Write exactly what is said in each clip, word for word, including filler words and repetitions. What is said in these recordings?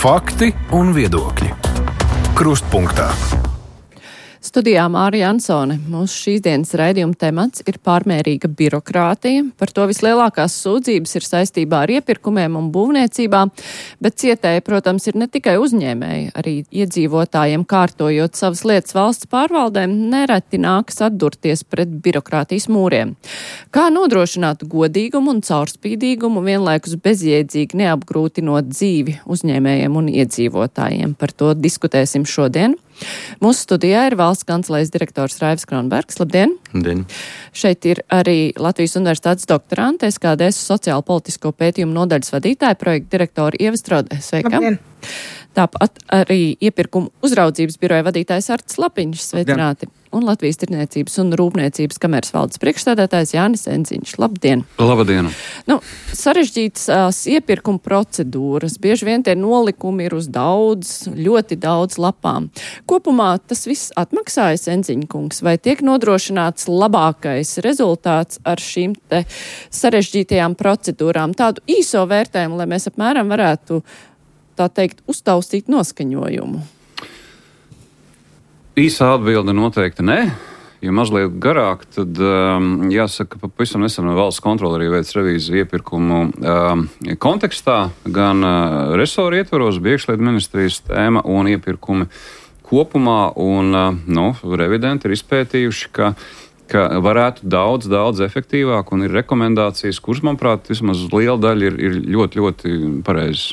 Fakti un viedokļi. Krustpunktā. Studijā Māra Jansone. Mūsu šīs dienas raidījuma temats ir pārmērīga birokrātija. Par to vislielākās sūdzības ir saistībā ar iepirkumiem un būvniecībā, bet cietēji, protams, ir ne tikai uzņēmēji, arī iedzīvotājiem kārtojot savas lietas valsts pārvaldēm, nereti nākas atdurties pret birokrātijas mūriem. Kā nodrošināt godīgumu un caurspīdīgumu, vienlaikus bezjēdzīgi neapgrūtinot dzīvi uzņēmējiem un iedzīvotājiem? Par to diskutēsim šodien. Mūsu studijā ir valsts kancelējas direktors Raivs Kronbergs. Labdien! Labdien! Šeit ir arī Latvijas Universitātes doktorante, S K D S sociālo politisko pētījumu nodaļas vadītāja, projekta direktora Ieva Strode. Sveika! Labdien! Tāpat arī iepirkumu uzraudzības biroja vadītājs Artis Lapiņš. Sveicināti! Labdien. Un Latvijas Tirniecības un Rūpniecības kameras valdes priekšstādātājs Jānis Enziņš. Labdien! Labdien! Nu, sarežģītas iepirkuma procedūras, bieži vien tie nolikumi ir uz daudz, ļoti daudz lapām. Kopumā tas viss atmaksājas, Enziņa kungs, vai tiek nodrošināts labākais rezultāts ar šīm te sarežģītajām procedūrām? Tādu īso vērtējumu, lai mēs apmēram varētu, tā teikt, uztaustīt noskaņojumu. Īsā atbilde noteikti nē. Ja mazliet garāk, tad um, jāsaka, ka pavisam nesen valsts kontrole arī veic revīziju iepirkumu um, kontekstā, gan uh, resoru ietvaros, bija iekšlietu ministrijas tēma un iepirkumi kopumā, un uh, nu, revidenti ir izpētījuši, ka, ka varētu daudz, daudz efektīvāk, un ir rekomendācijas, kuras, manuprāt, vismaz liela daļa ir, ir ļoti, ļoti pareizas.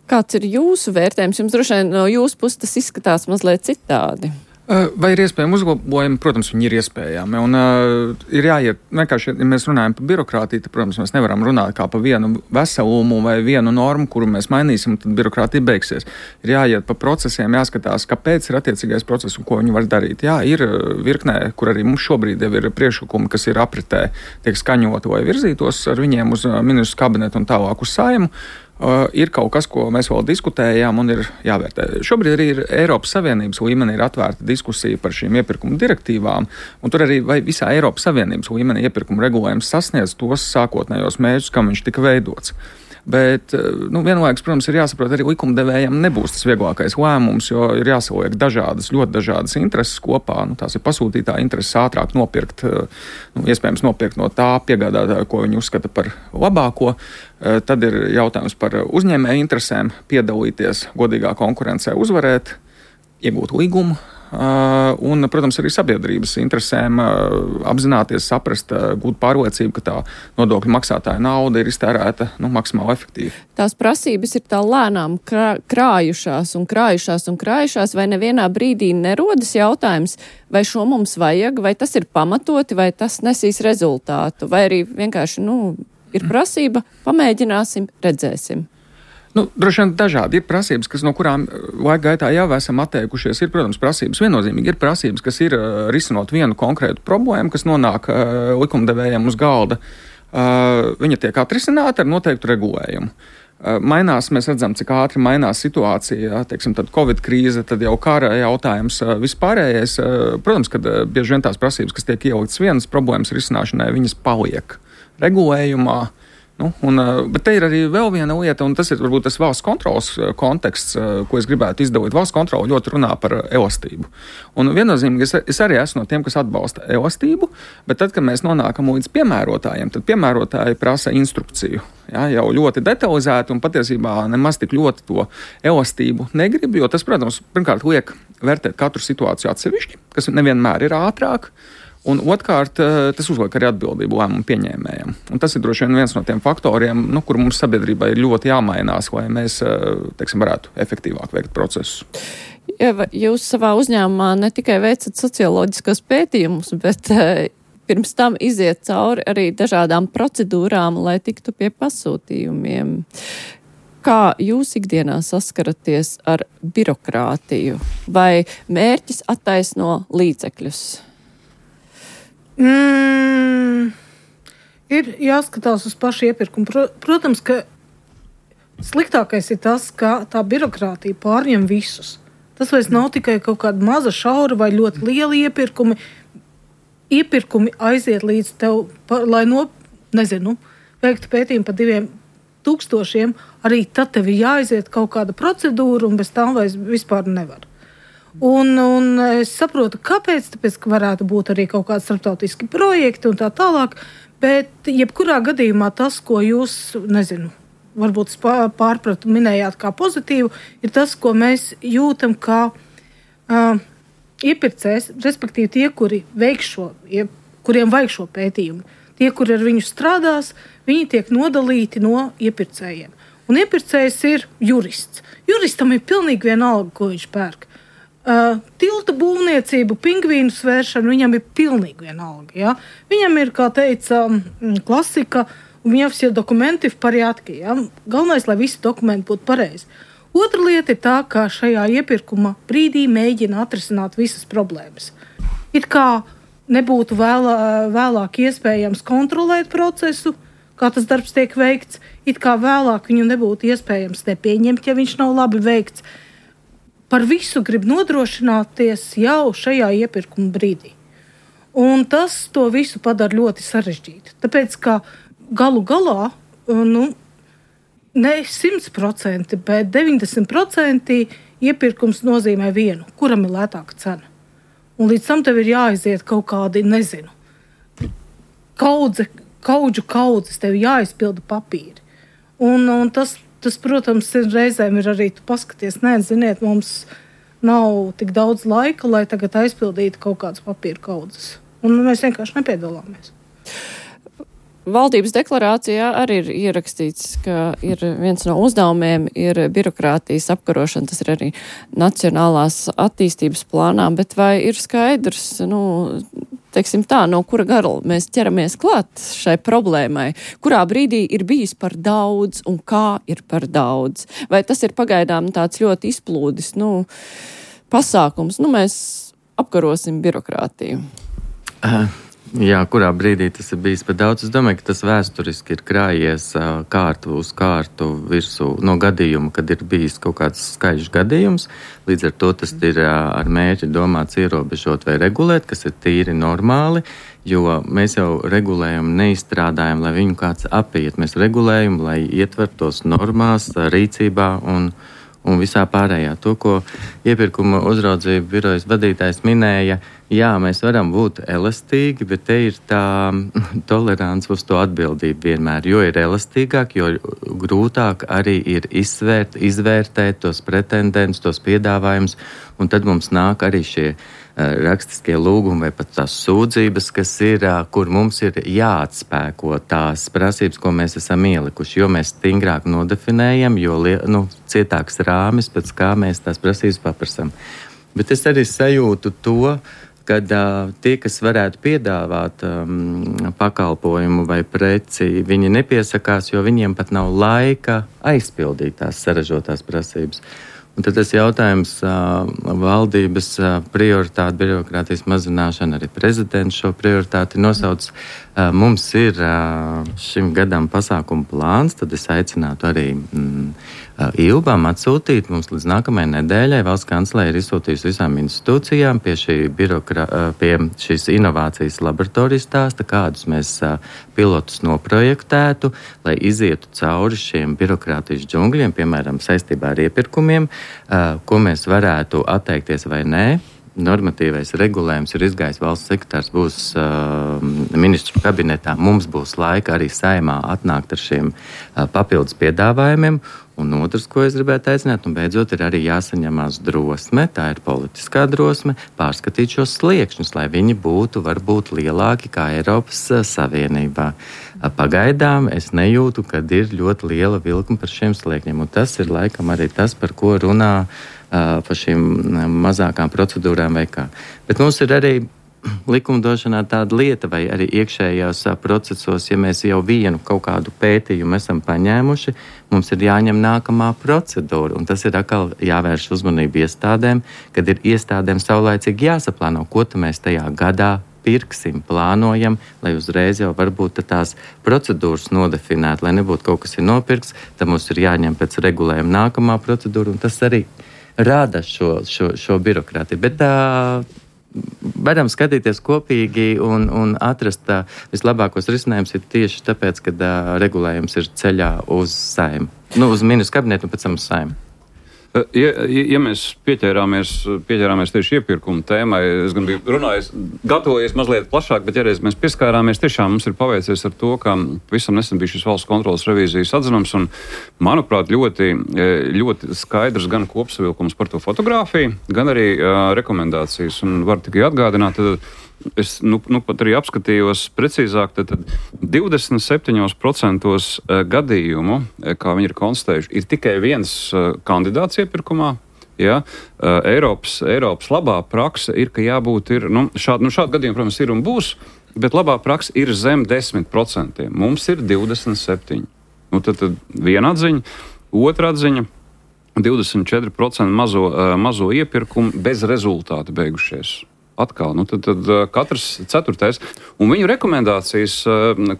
Kāds ir jūsu vērtējums? Jums droši vien no jūsu puses tas izskatās mazliet citādi. Vai ir iespējami uzlabojumi? Protams, viņi ir iespējami. Un uh, ir jāiet, vienkārši, ja mēs runājam par birokrātiju, tad, protams, mēs nevaram runāt kā par vienu veselumu vai vienu normu, kuru mēs mainīsim, tad birokrātija beigsies. Ir jāiet pa procesiem, jāskatās, kāpēc ir attiecīgais process un ko viņi var darīt. Jā, ir virknē, kur arī mums šobrīd jau ir priekšlikumi, kas ir apritē, tiek skaņoti vai virzītos ar viņiem uz ministru kabinetu un tālāk uz Saeimu. Uh, ir kaut kas, ko mēs vēl diskutējām un ir jāvērtē. Šobrīd arī ir Eiropas Savienības līmenī ir atvērta diskusija par šīm iepirkuma direktīvām, un tur arī vai visā Eiropas Savienības līmenī iepirkuma regulējums sasniedz tos sākotnējos mērķus, kam viņš tika veidots. Bet, nu, vienlaikus, protams, ir jāsaprot, arī likumdevējiem nebūs tas vieglākais lēmums, jo ir jāsaliek dažādas, ļoti dažādas intereses kopā. Nu, tās ir pasūtītā intereses ātrāk nopirkt, nu, iespējams nopirkt no tā piegādātāja, ko viņi uzskata par labāko. Tad ir jautājums par uzņēmēju interesēm, piedalīties godīgā konkurencē, uzvarēt, iegūt līgumu. Uh, un, protams, arī sabiedrības interesēm uh, apzināties, saprast, uh, gūt pārliecību, ka tā nodokļu maksātāja nauda ir iztērēta nu, maksimāli efektīvi. Tās prasības ir tā lēnām krā, krājušās un krājušās un krājušās, vai nevienā brīdī nerodas jautājums, vai šo mums vajag, vai tas ir pamatoti, vai tas nesīs rezultātu, vai arī vienkārši, nu, ir prasība, pamēģināsim, redzēsim. Nu, droši vien dažādi ir prasības, kas, no kurām laika gaitā jau esam atteikušies. Ir, protams, prasības viennozīmīgi. Ir prasības, kas ir uh, risinot vienu konkrētu problēmu, kas nonāk uh, likumdevējiem uz galda. Uh, viņa tiek atrisināta ar noteiktu regulējumu. Uh, mainās, mēs redzam, cik ātri mainās situācija, teiksim, tad Covid krīze, tad jau kara jautājums uh, vispārējais. Uh, protams, ka uh, bieži vien tās prasības, kas tiek ieliktas vienas problēmas risināšanai, viņas paliek regulējumā. Nu, un, bet te ir arī vēl viena lieta, un tas ir varbūt tas valsts kontrolas konteksts, ko es gribētu izdalīt. Valsts kontrola ļoti runā par elastību. Un viennozīmīgi es, es arī esmu no tiem, kas atbalsta elastību, bet tad, kad mēs nonākam līdz piemērotājiem, tad piemērotāji prasa instrukciju. Ja, jau ļoti detalizēti un patiesībā nemaz tik ļoti to elastību negrib, jo tas, protams, pirmkārt liek vērtēt katru situāciju atsevišķi, kas nevienmēr ir ātrāk. Un otrkārt, tas uzliek arī atbildību lēmumu pieņēmējiem. Un tas ir droši vien viens no tiem faktoriem, nu, kur mums sabiedrībai ir ļoti jāmainās, lai mēs, teiksim, varētu efektīvāk veikt procesus. Ja, jūs savā uzņēmumā ne tikai veicat socioloģiskos pētījumus, bet pirms tam iziet cauri arī dažādām procedūrām, lai tiktu pie pasūtījumiem. Kā jūs ikdienā saskaraties ar birokrātiju? Vai mērķis attaisno līdzekļus? Mm, ir jāskatās uz pašu iepirkumu. Protams, ka sliktākais ir tas, ka tā birokrātija pārņem visus. Tas vairs nav tikai kaut kāda maza šaura vai ļoti liela iepirkumi. Iepirkumi aiziet līdz tev, pa, lai no, nezinu, veiktu pētījumu par diviem tūkstošiem, arī tad tev ir jāaiziet kaut kāda procedūra, un bez tā vairs vispār nevar. Un, un es saprotu, kāpēc, tāpēc, ka varētu būt arī kaut kādi starptautiski projekti un tā tālāk, bet jebkurā gadījumā tas, ko jūs, nezinu, varbūt pārpratu minējāt kā pozitīvu, ir tas, ko mēs jūtam kā uh, iepirkējs, respektīvi tie, kuri veiks šo, kuriem vajag šo pētījumu. Tie, kuri ar viņu strādās, viņi tiek nodalīti no iepirkējiem. Un iepirkējs ir jurists. Juristam ir pilnīgi vienalga, ko viņš pērk. Uh, tilta būvniecību, pingvīnu svēršanu, viņam ir pilnīgi vienalga. Ja? Viņam ir, kā teica, klasika, un viņam ir dokumenti v pariatki. Ja? Galvenais, lai visi dokumenti būtu pareizi. Otra lieta ir tā, ka šajā iepirkuma brīdī mēģina atrisināt visas problēmas. It kā nebūtu vēlā, vēlāk iespējams kontrolēt procesu, kā tas darbs tiek veikts, it kā vēlāk viņu nebūtu iespējams nepieņemt, ja viņš nav labi veikts. Par visu grib nodrošināties jau šajā iepirkuma brīdī. Un tas to visu padara ļoti sarežģīti. Tāpēc, ka galu galā, nu, ne simt procenti, bet deviņdesmit procenti iepirkums nozīmē vienu, kuram ir lētāka cena. Un līdz tam tev ir jāaiziet kaut kādi, nezinu, kaudze, kaudžu kaudzes, tev jāizpilda papīri. Un, un tas, tas, protams, reizēm ir arī, tu paskaties, nē, ziniet, mums nav tik daudz laika, lai tagad aizpildītu kaut kādas papīra kaudzes. Un mēs vienkārši nepiedalāmies. Valdības deklarācijā arī ir ierakstīts, ka ir viens no uzdevumiem ir birokrātijas apkarošana, tas ir arī nacionālās attīstības plānā, bet vai ir skaidrs, nu, teiksim tā, no kura garla mēs ķeramies klāt šai problēmai, kurā brīdī ir bijis par daudz un kā ir par daudz? Vai tas ir pagaidām tāds ļoti izplūdis, nu, pasākums, nu, mēs apkarosim birokrātiju? Uh. Jā, kurā brīdī tas ir bijis par daudz. Es domāju, ka tas vēsturiski ir krājies uh, kārtu uz kārtu virsū no gadījuma, kad ir bijis kaut kāds skaļš gadījums. Līdz ar to tas ir uh, ar mērķi domāts ierobežot vai regulēt, kas ir tīri normāli, jo mēs jau regulējam, neizstrādājam, lai viņu kāds apiet. Mēs regulējam, lai ietvertos normās, rīcībā un, un visā pārējā. To, ko iepirkuma uzraudzību birojas vadītājs minēja, jā, mēs varam būt elastīgi, bet te ir tā tolerants uz to atbildību vienmēr. Jo ir elastīgāk, jo grūtāk arī ir izsvērt, izvērtēt tos pretendentus, tos piedāvājumus, un tad mums nāk arī šie uh, rakstiskie lūgumi vai pat tās sūdzības, kas ir, uh, kur mums ir jāatspēko tās prasības, ko mēs esam ielikuši, jo mēs stingrāk nodefinējam, jo nu, cietāks rāmis, pēc kā mēs tās prasības paprasam. Bet es arī sajūtu to, kad uh, tie, kas varētu piedāvāt um, pakalpojumu vai preci, viņi nepiesakās, jo viņiem pat nav laika aizpildīt tās sarežotās prasības. Un tad tas jautājums uh, valdības uh, prioritāte, birokrātijas mazināšana, arī prezidents šo prioritāti nosauc. Uh, mums ir uh, šim gadam pasākumu plāns, tad es aicinātu arī mm, uh, Ilbām atsūtīt mums līdz nākamajai nedēļai. Valsts kancelē ir izsūtījusi visām institūcijām pie, šī birokra, uh, pie šīs inovācijas laboratorijas stāsta, kādus mēs uh, pilotus noprojektētu, lai izietu cauri šiem birokrātijas džungļiem, piemēram, saistībā ar iepirkumiem, Uh, ko mēs varētu atteikties vai nē. Normatīvais regulējums ir izgājis, valsts sekretārs būs uh, ministru kabinetā. Mums būs laika arī saimā atnākt ar šiem uh, papildus piedāvājumiem. Un otrs, ko es gribētu aicināt, un beidzot ir arī jāsaņemās drosme, tā ir politiskā drosme, pārskatīt šos sliekšņus, lai viņi būtu varbūt lielāki kā Eiropas uh, Savienībā. Uh, pagaidām es nejūtu, kad ir ļoti liela vilkuma par šiem sliekņiem, un tas ir laikam arī tas, par ko runā uh, par šīm mazākām procedūrām vai kā. Bet mums ir arī likumdošanā tāda lieta vai arī iekšējās procesos, ja mēs jau vienu kaut kādu pētījumu esam paņēmuši, mums ir jāņem nākamā procedūra, un tas ir atkal jāvērš uzmanību iestādēm, kad ir iestādēm saulaicīgi jāsaplāno, ko mēs tajā gadā pirksim, plānojam, lai uzreiz jau varbūt tās procedūras nodefinētu, lai nebūtu kaut kas ir nopirks, tad mums ir jāņem pēc regulējuma nākamā procedūra, un tas arī rāda šo, šo, šo birokrātiju. Bet tā varam skatīties kopīgi un, un atrast uh, vislabākos risinājumus ir tieši tāpēc, ka uh, regulējums ir ceļā uz Saeimu. Nu, uz ministru kabinetu un pēc tam uz Saeimu. Ja, ja mēs pieķērāmies, pieķērāmies tieši iepirkuma tēmai, es gan biju runājis, gatavojies mazliet plašāk, bet ja reiz mēs pieskārāmies, tiešām mums ir paveicies ar to, ka visam nesen bija šis valsts kontrolas revīzijas atzinums, un, manuprāt, ļoti, ļoti skaidrs gan kopsavilkums par to fotogrāfiju, gan arī uh, rekomendācijas, un var tikai atgādināt, tad es nu, nu pat arī apskatījos precīzāk, tad, tad divdesmit septiņi procenti gadījumu, kā viņi ir konstatējuši, ir tikai viens kandidāts iepirkumā. Ja? Eiropas, Eiropas labā prakse ir, ka jābūt ir, nu, šādi, nu, šādi gadījumi, protams, ir un būs, bet labā prakse ir zem desmit procentiem. Mums ir divdesmit septiņi. Nu, tad, tad viena atziņa, otra atziņa, divdesmit četri procenti mazo, mazo iepirkumu bez rezultātu beigušies. Atkal, nu tad, tad katrs ceturtais. Un viņu rekomendācijas,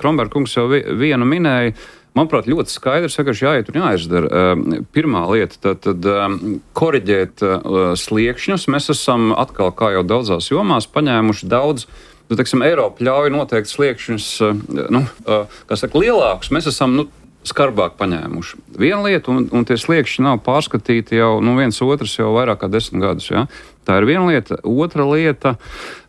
Kronberg kungs jau vienu minēja, manuprāt, ļoti skaidrs, vienkārši jāiet un jāizdara. Pirmā lieta, tad, tad koriģēt sliekšņus. Mēs esam atkal, kā jau daudzās jomās, paņēmuši daudz, nu, teiksim, Eiropa ļauj noteikt sliekšņus, nu, kā saka, lielākus. Mēs esam, nu, skarbāk paņēmuši. Viena lieta, un, un tie sliekšņi nav pārskatīti jau, nu, viens otrs jau vairāk kā desmit gadus, ja? Tā ir viena lieta. Otra lieta,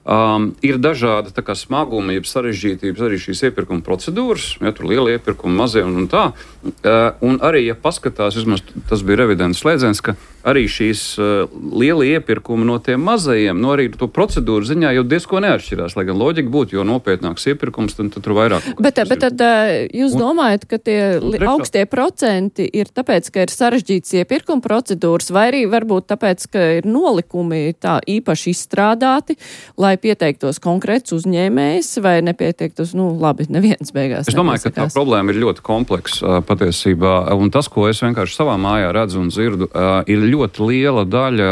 um, ir dažādi tā kā smagumi, jeb sarežģītības arī šīs iepirkuma procedūras, ja tur lielie iepirkumi, mazie un, un tā. Uh, un arī, ja paskatās, vismaz tas bija revidents slēdziens, ka arī šīs uh, lielie iepirkumi no tiem mazajiem, no arī to procedūru ziņā jau diezko neatšķirās, lai gan loģika būtu, jo nopietnāks iepirkums, tad, tad tur vairāk. Bet, bet tad jūs un, domājat, ka tie trešā, augstie procenti ir tāpēc, ka ir sarežģīts iepirkuma procedūras, vai arī varbūt tāpēc, ka ir nolikumi tā īpaši izstrādāti, lai pieteiktos konkrēts uzņēmējs, vai nepieteiktos, nu labi, neviens beigās. Es domāju, ka tā problēma ir ļoti kompleksa patiesībā, un tas, ko es vienkārši savā mājā redzu un dzirdu, ir ļoti liela daļa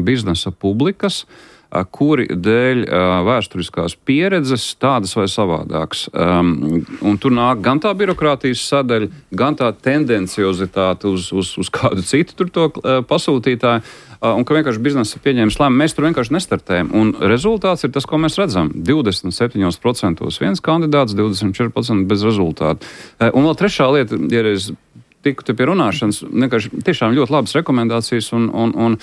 biznesa publikas, kuri dēļ vēsturiskās pieredzes tādas vai savādākas. Un tur nāk gan tā birokrātijas sadaļa, gan tā tendenciozitāte uz, uz, uz kādu citu tur to pasūtītāju, un ka vienkārši biznesa pieņēmis lēmumu, mēs tur vienkārši nestartējam. Un rezultāts ir tas, ko mēs redzam. divdesmit septiņi procenti viens kandidāts, divdesmit četri procenti bez rezultātu. Un vēl trešā lieta, ja es tiku te pie runāšanas, vienkārši tiešām ļoti labas rekomendācijas un, un, un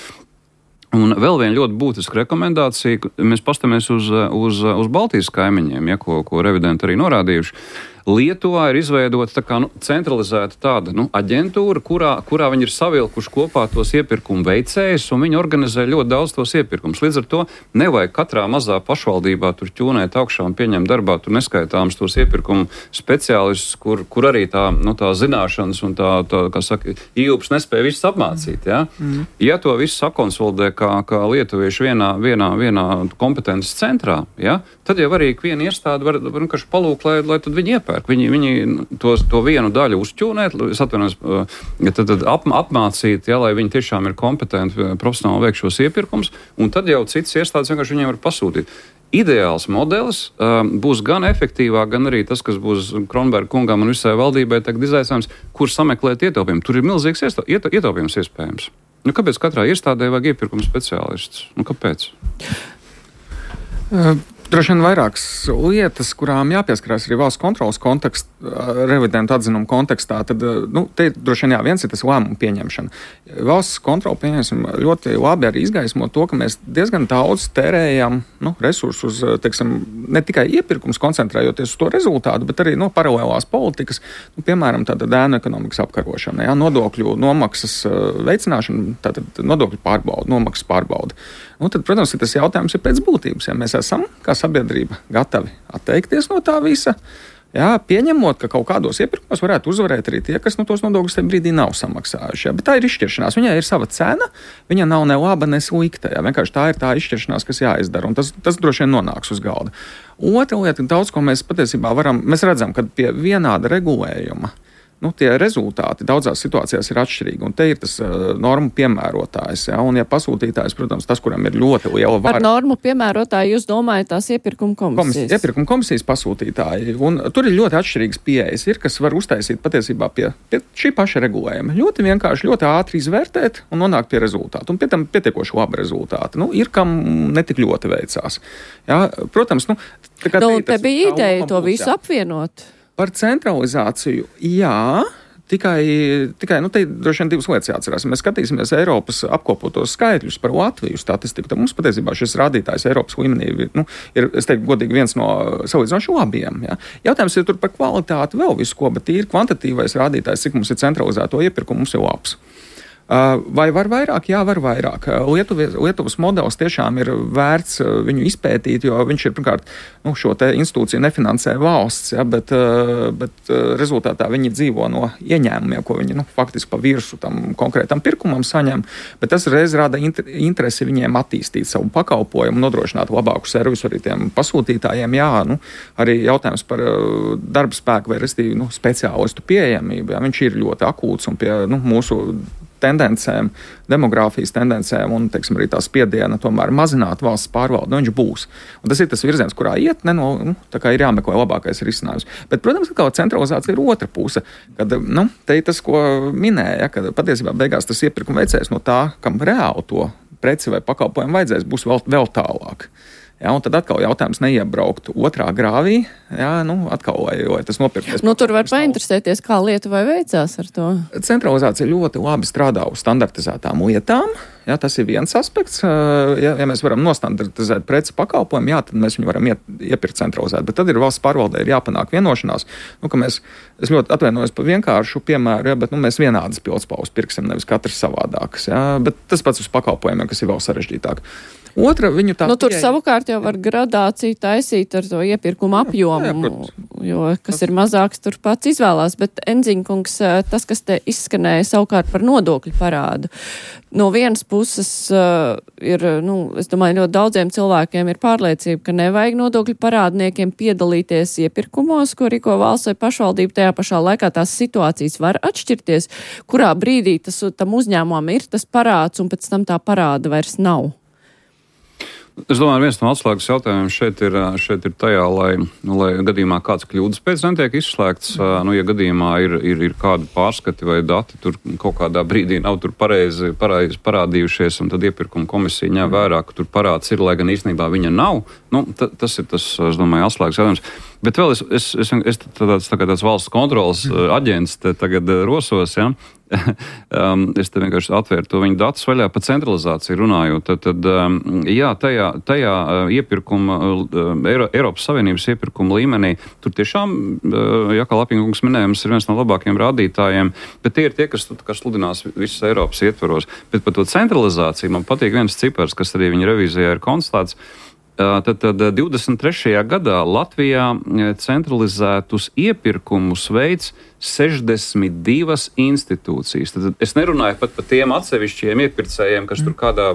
Un vēl viena ļoti būtiska rekomendācija, mēs pastamies uz, uz, uz Baltijas kaimiņiem, ja, ko, ko revidenti arī norādījuši. Lietuvā ir izveidota tā kā, nu, centralizēta tāda, nu, aģentūra, kurā, kurā viņi ir savilkuši kopā tos iepirkumu veicējus, un viņi organizē ļoti daudz tos iepirkumus. Līdz ar to nevajag katrā mazā pašvaldībā tur ķūnēt augšā un pieņemt darbā tur neskaitāms tos iepirkumu speciālistus, kur, kur arī tā, nu, tā zināšanas un tā, tā kā saka, ījūps nespēja visus apmācīt. Ja, mm. ja to visu sakonsolidē kā, kā lietuvieši vienā, vienā, vienā kompetences centrā, ja, tad jau arī viena iestāde var vienkārši palūkt, lai, lai tad viņi iepērk. Viņi, viņi to, to vienu daļu uzķūnēt, es atvainojos, tad, tad ap, apmācīt, ja, lai viņi tiešām ir kompetenti profesionāli veikt šos iepirkums, un tad jau citas iestādes vienkārši viņiem var pasūtīt. Ideāls modelis uh, būs gan efektīvāk, gan arī tas, kas būs Kronberga kungam un visai valdībai tagad izaicinājums, kur sameklēt ietaupījumu. Tur ir milzīgs ieto, ieto, ietaupījums iespējams. Nu, kāpēc katrā iestādē vajag iepirkuma speciālistus? Nu, kāpēc? Uh. Droši vien vairākas lietas, kurām jāpieskarās arī valsts kontrolas kontekst, revidentu atzinumu kontekstā, tad, nu, te droši vien jā, viens ir tas lēmumu pieņemšana. Valsts kontrola, pieņemsim, ļoti labi arī izgaismo to, ka mēs diezgan daudz tērējam, nu, resursus, teiksim, ne tikai iepirkums koncentrējoties uz to rezultātu, bet arī, no nu, paralēlās politikas, nu, piemēram, tāda ēnu ekonomikas apkarošana, jā, nodokļu nomaksas veicināšana, tātad nodokļu pārbauda, nomaksas pārbauda. Nu, tad, protams, ir tas jautājums ir pēc būtības, ja mēs esam, kā sabiedrība, gatavi atteikties no tā visa, jā, pieņemot, ka kaut kādos iepirkumos varētu uzvarēt arī tie, kas no tos nodokļus tajā brīdī nav samaksājuši. Jā. Bet tā ir izšķiršanās. Viņai ir sava cena, viņa nav ne laba, ne slikta. Jā. Vienkārši tā ir tā izšķiršanās, kas jāizdara, un tas, tas droši vien nonāks uz galda. Otra lieta, daudz ko mēs patiesībā varam, mēs redzam, ka pie vienāda regulējuma nu, tie rezultāti daudzās situācijās ir atšķirīgi. Un te ir tas uh, normu piemērotājs. Ja? Un, ja pasūtītājs, protams, tas, kuram ir ļoti liela vara. Par normu piemērotāju jūs domājat tās iepirkuma komisijas? Komis, iepirkuma komisijas pasūtītāji. Un tur ir ļoti atšķirīgas pieejas. Ir, kas var uztaisīt patiesībā pie, pie šī paša regulējuma. Ļoti vienkārši, ļoti ātri izvērtēt un nonākt pie rezultātu. Un pie tam pietiekoši labi rezultāti. Nu, ir, kam netik ļoti veicās. Ja? Protams, nu, tā kā nu, te, te bija ideja to visu apvienot. Par centralizāciju, jā, tikai, tikai nu, te droši vien divas lietas jāatcerās. Mēs skatīsimies Eiropas apkopotos skaitļus par Latviju statistiku, tad mums patiesībā šis rādītājs Eiropas līmenī nu, ir, es teiktu, godīgi viens no salīdzinoši labiem. Ja. Jautājums ir tur par kvalitāti vēl visu ko, bet tīri kvantitīvais rādītājs, cik mums ir centralizēto iepirkumu, mums ir labs. Vai var vairāk? Jā, var vairāk. Lietuvas, Lietuvas modelis tiešām ir vērts viņu izpētīt, jo viņš ir, pirmkārt, nu, šo te institūciju nefinansē valsts, ja, bet, bet rezultātā viņi dzīvo no ieņēmumiem, ko viņi nu, faktiski pa virsu tam konkrētam pirkumam saņem, bet tas reiz rada interesi viņiem attīstīt savu pakalpojumu, nodrošināt labāku servisu arī tiem pasūtītājiem. Jā, nu, arī jautājums par darba spēku vai restīvi nu, speciālistu pieejamību, jā, viņš ir ļoti akūts un pie nu, mūsu tendencēm, demogrāfijas tendencēm un, teiksim, arī tā spiediena tomēr mazināt valsts pārvaldu, nu viņš būs. Un tas ir tas virziens, kurā iet, ne, no, nu, tā kā ir jāmeklē labākais risinājums. Bet, protams, ka centralizācija ir otra puse, kad, nu, te ir tas, ko minēja, kad patiesībā beigās tas iepirkuma veicējs no tā, kam reāli to preci vai pakalpojumu vajadzēs, būs vēl, vēl tālāk. Ja, un tad atkal jautājums neiebraukt otrā grāvī, ja, nu, atkal, lai, lai tas nopirkties. Nu, tur var painteresēties, kā Lietuvai veicās ar to. Centralizācija ļoti labi strādā uz standartizētām lietām. Ja, tas ir viens aspekts. Ja, ja mēs varam nostandartizēt preci pakalpojumu, jā, tad mēs viņu varam iet, iepirkt centralizēt. Bet tad ir valsts pārvaldē ir jāpanāk vienošanās. Nu, ka mēs, es ļoti atvainojos par vienkāršu piemēru, ja, bet nu, mēs vienādas pildspalvas pirksim, nevis katrs savādākas. Ja, bet tas pats uz pakalpojumiem, kas ir vēl sarežģītāk. Otra, viņu tā nu, tur pieeja... savukārt jau var gradāciju taisīt ar to iepirkumu apjomu, jā, jā, jo kas ir mazāks, tur pats izvēlās. Bet, Enziņkungs, tas, kas te izskanēja savukārt par nodokļu parādu, no vienas puses uh, ir, nu, es domāju, ļoti daudziem cilvēkiem ir pārliecība, ka nevajag nodokļu parādniekiem piedalīties iepirkumos, ko rīko valsts vai pašvaldība. Tajā pašā laikā tās situācijas var atšķirties, kurā brīdī tas, tam uzņēmumam ir tas parāds un pēc tam tā parāda vairs nav. Es domāju, viens no atslēgas jautājumiem šeit ir, šeit ir tajā, lai, nu, lai gadījumā kāds kļūdas pēc netiek izslēgts, nu, ja gadījumā ir, ir, ir kādi pārskati vai dati tur kaut kādā brīdī nav tur pareizi, pareizi parādījušies, un tad iepirkuma komisija ņem vērā, ka tur parāds ir, lai gan īstenībā viņa nav. Nu, t- tas ir tas, es domāju, atslēgas jautājums. Bet vēl es, es, es, es tāds, tā tāds valsts kontrolas aģents te tagad rosos, ja? um, es te vienkārši atvēru to viņu datus vaļā par centralizāciju runājot. Tad, tad um, jā, tajā, tajā iepirkuma, Eiro, Eiropas Savienības iepirkuma līmenī, tur tiešām, ja kā Lapinkungs minēja, mums ir viens no labākajiem rādītājiem, bet tie ir tie, kas, kas sludinās visas Eiropas ietvaros. Bet par to centralizāciju man patīk viens cipars, kas arī viņa revīzijā ir konstatēts. Tad, tad divdesmit trešajā gadā Latvijā centralizētus iepirkumus veids sešdesmit divas institūcijas. Tad es nerunāju pat par tiem atsevišķiem iepirkējiem, kas tur kādā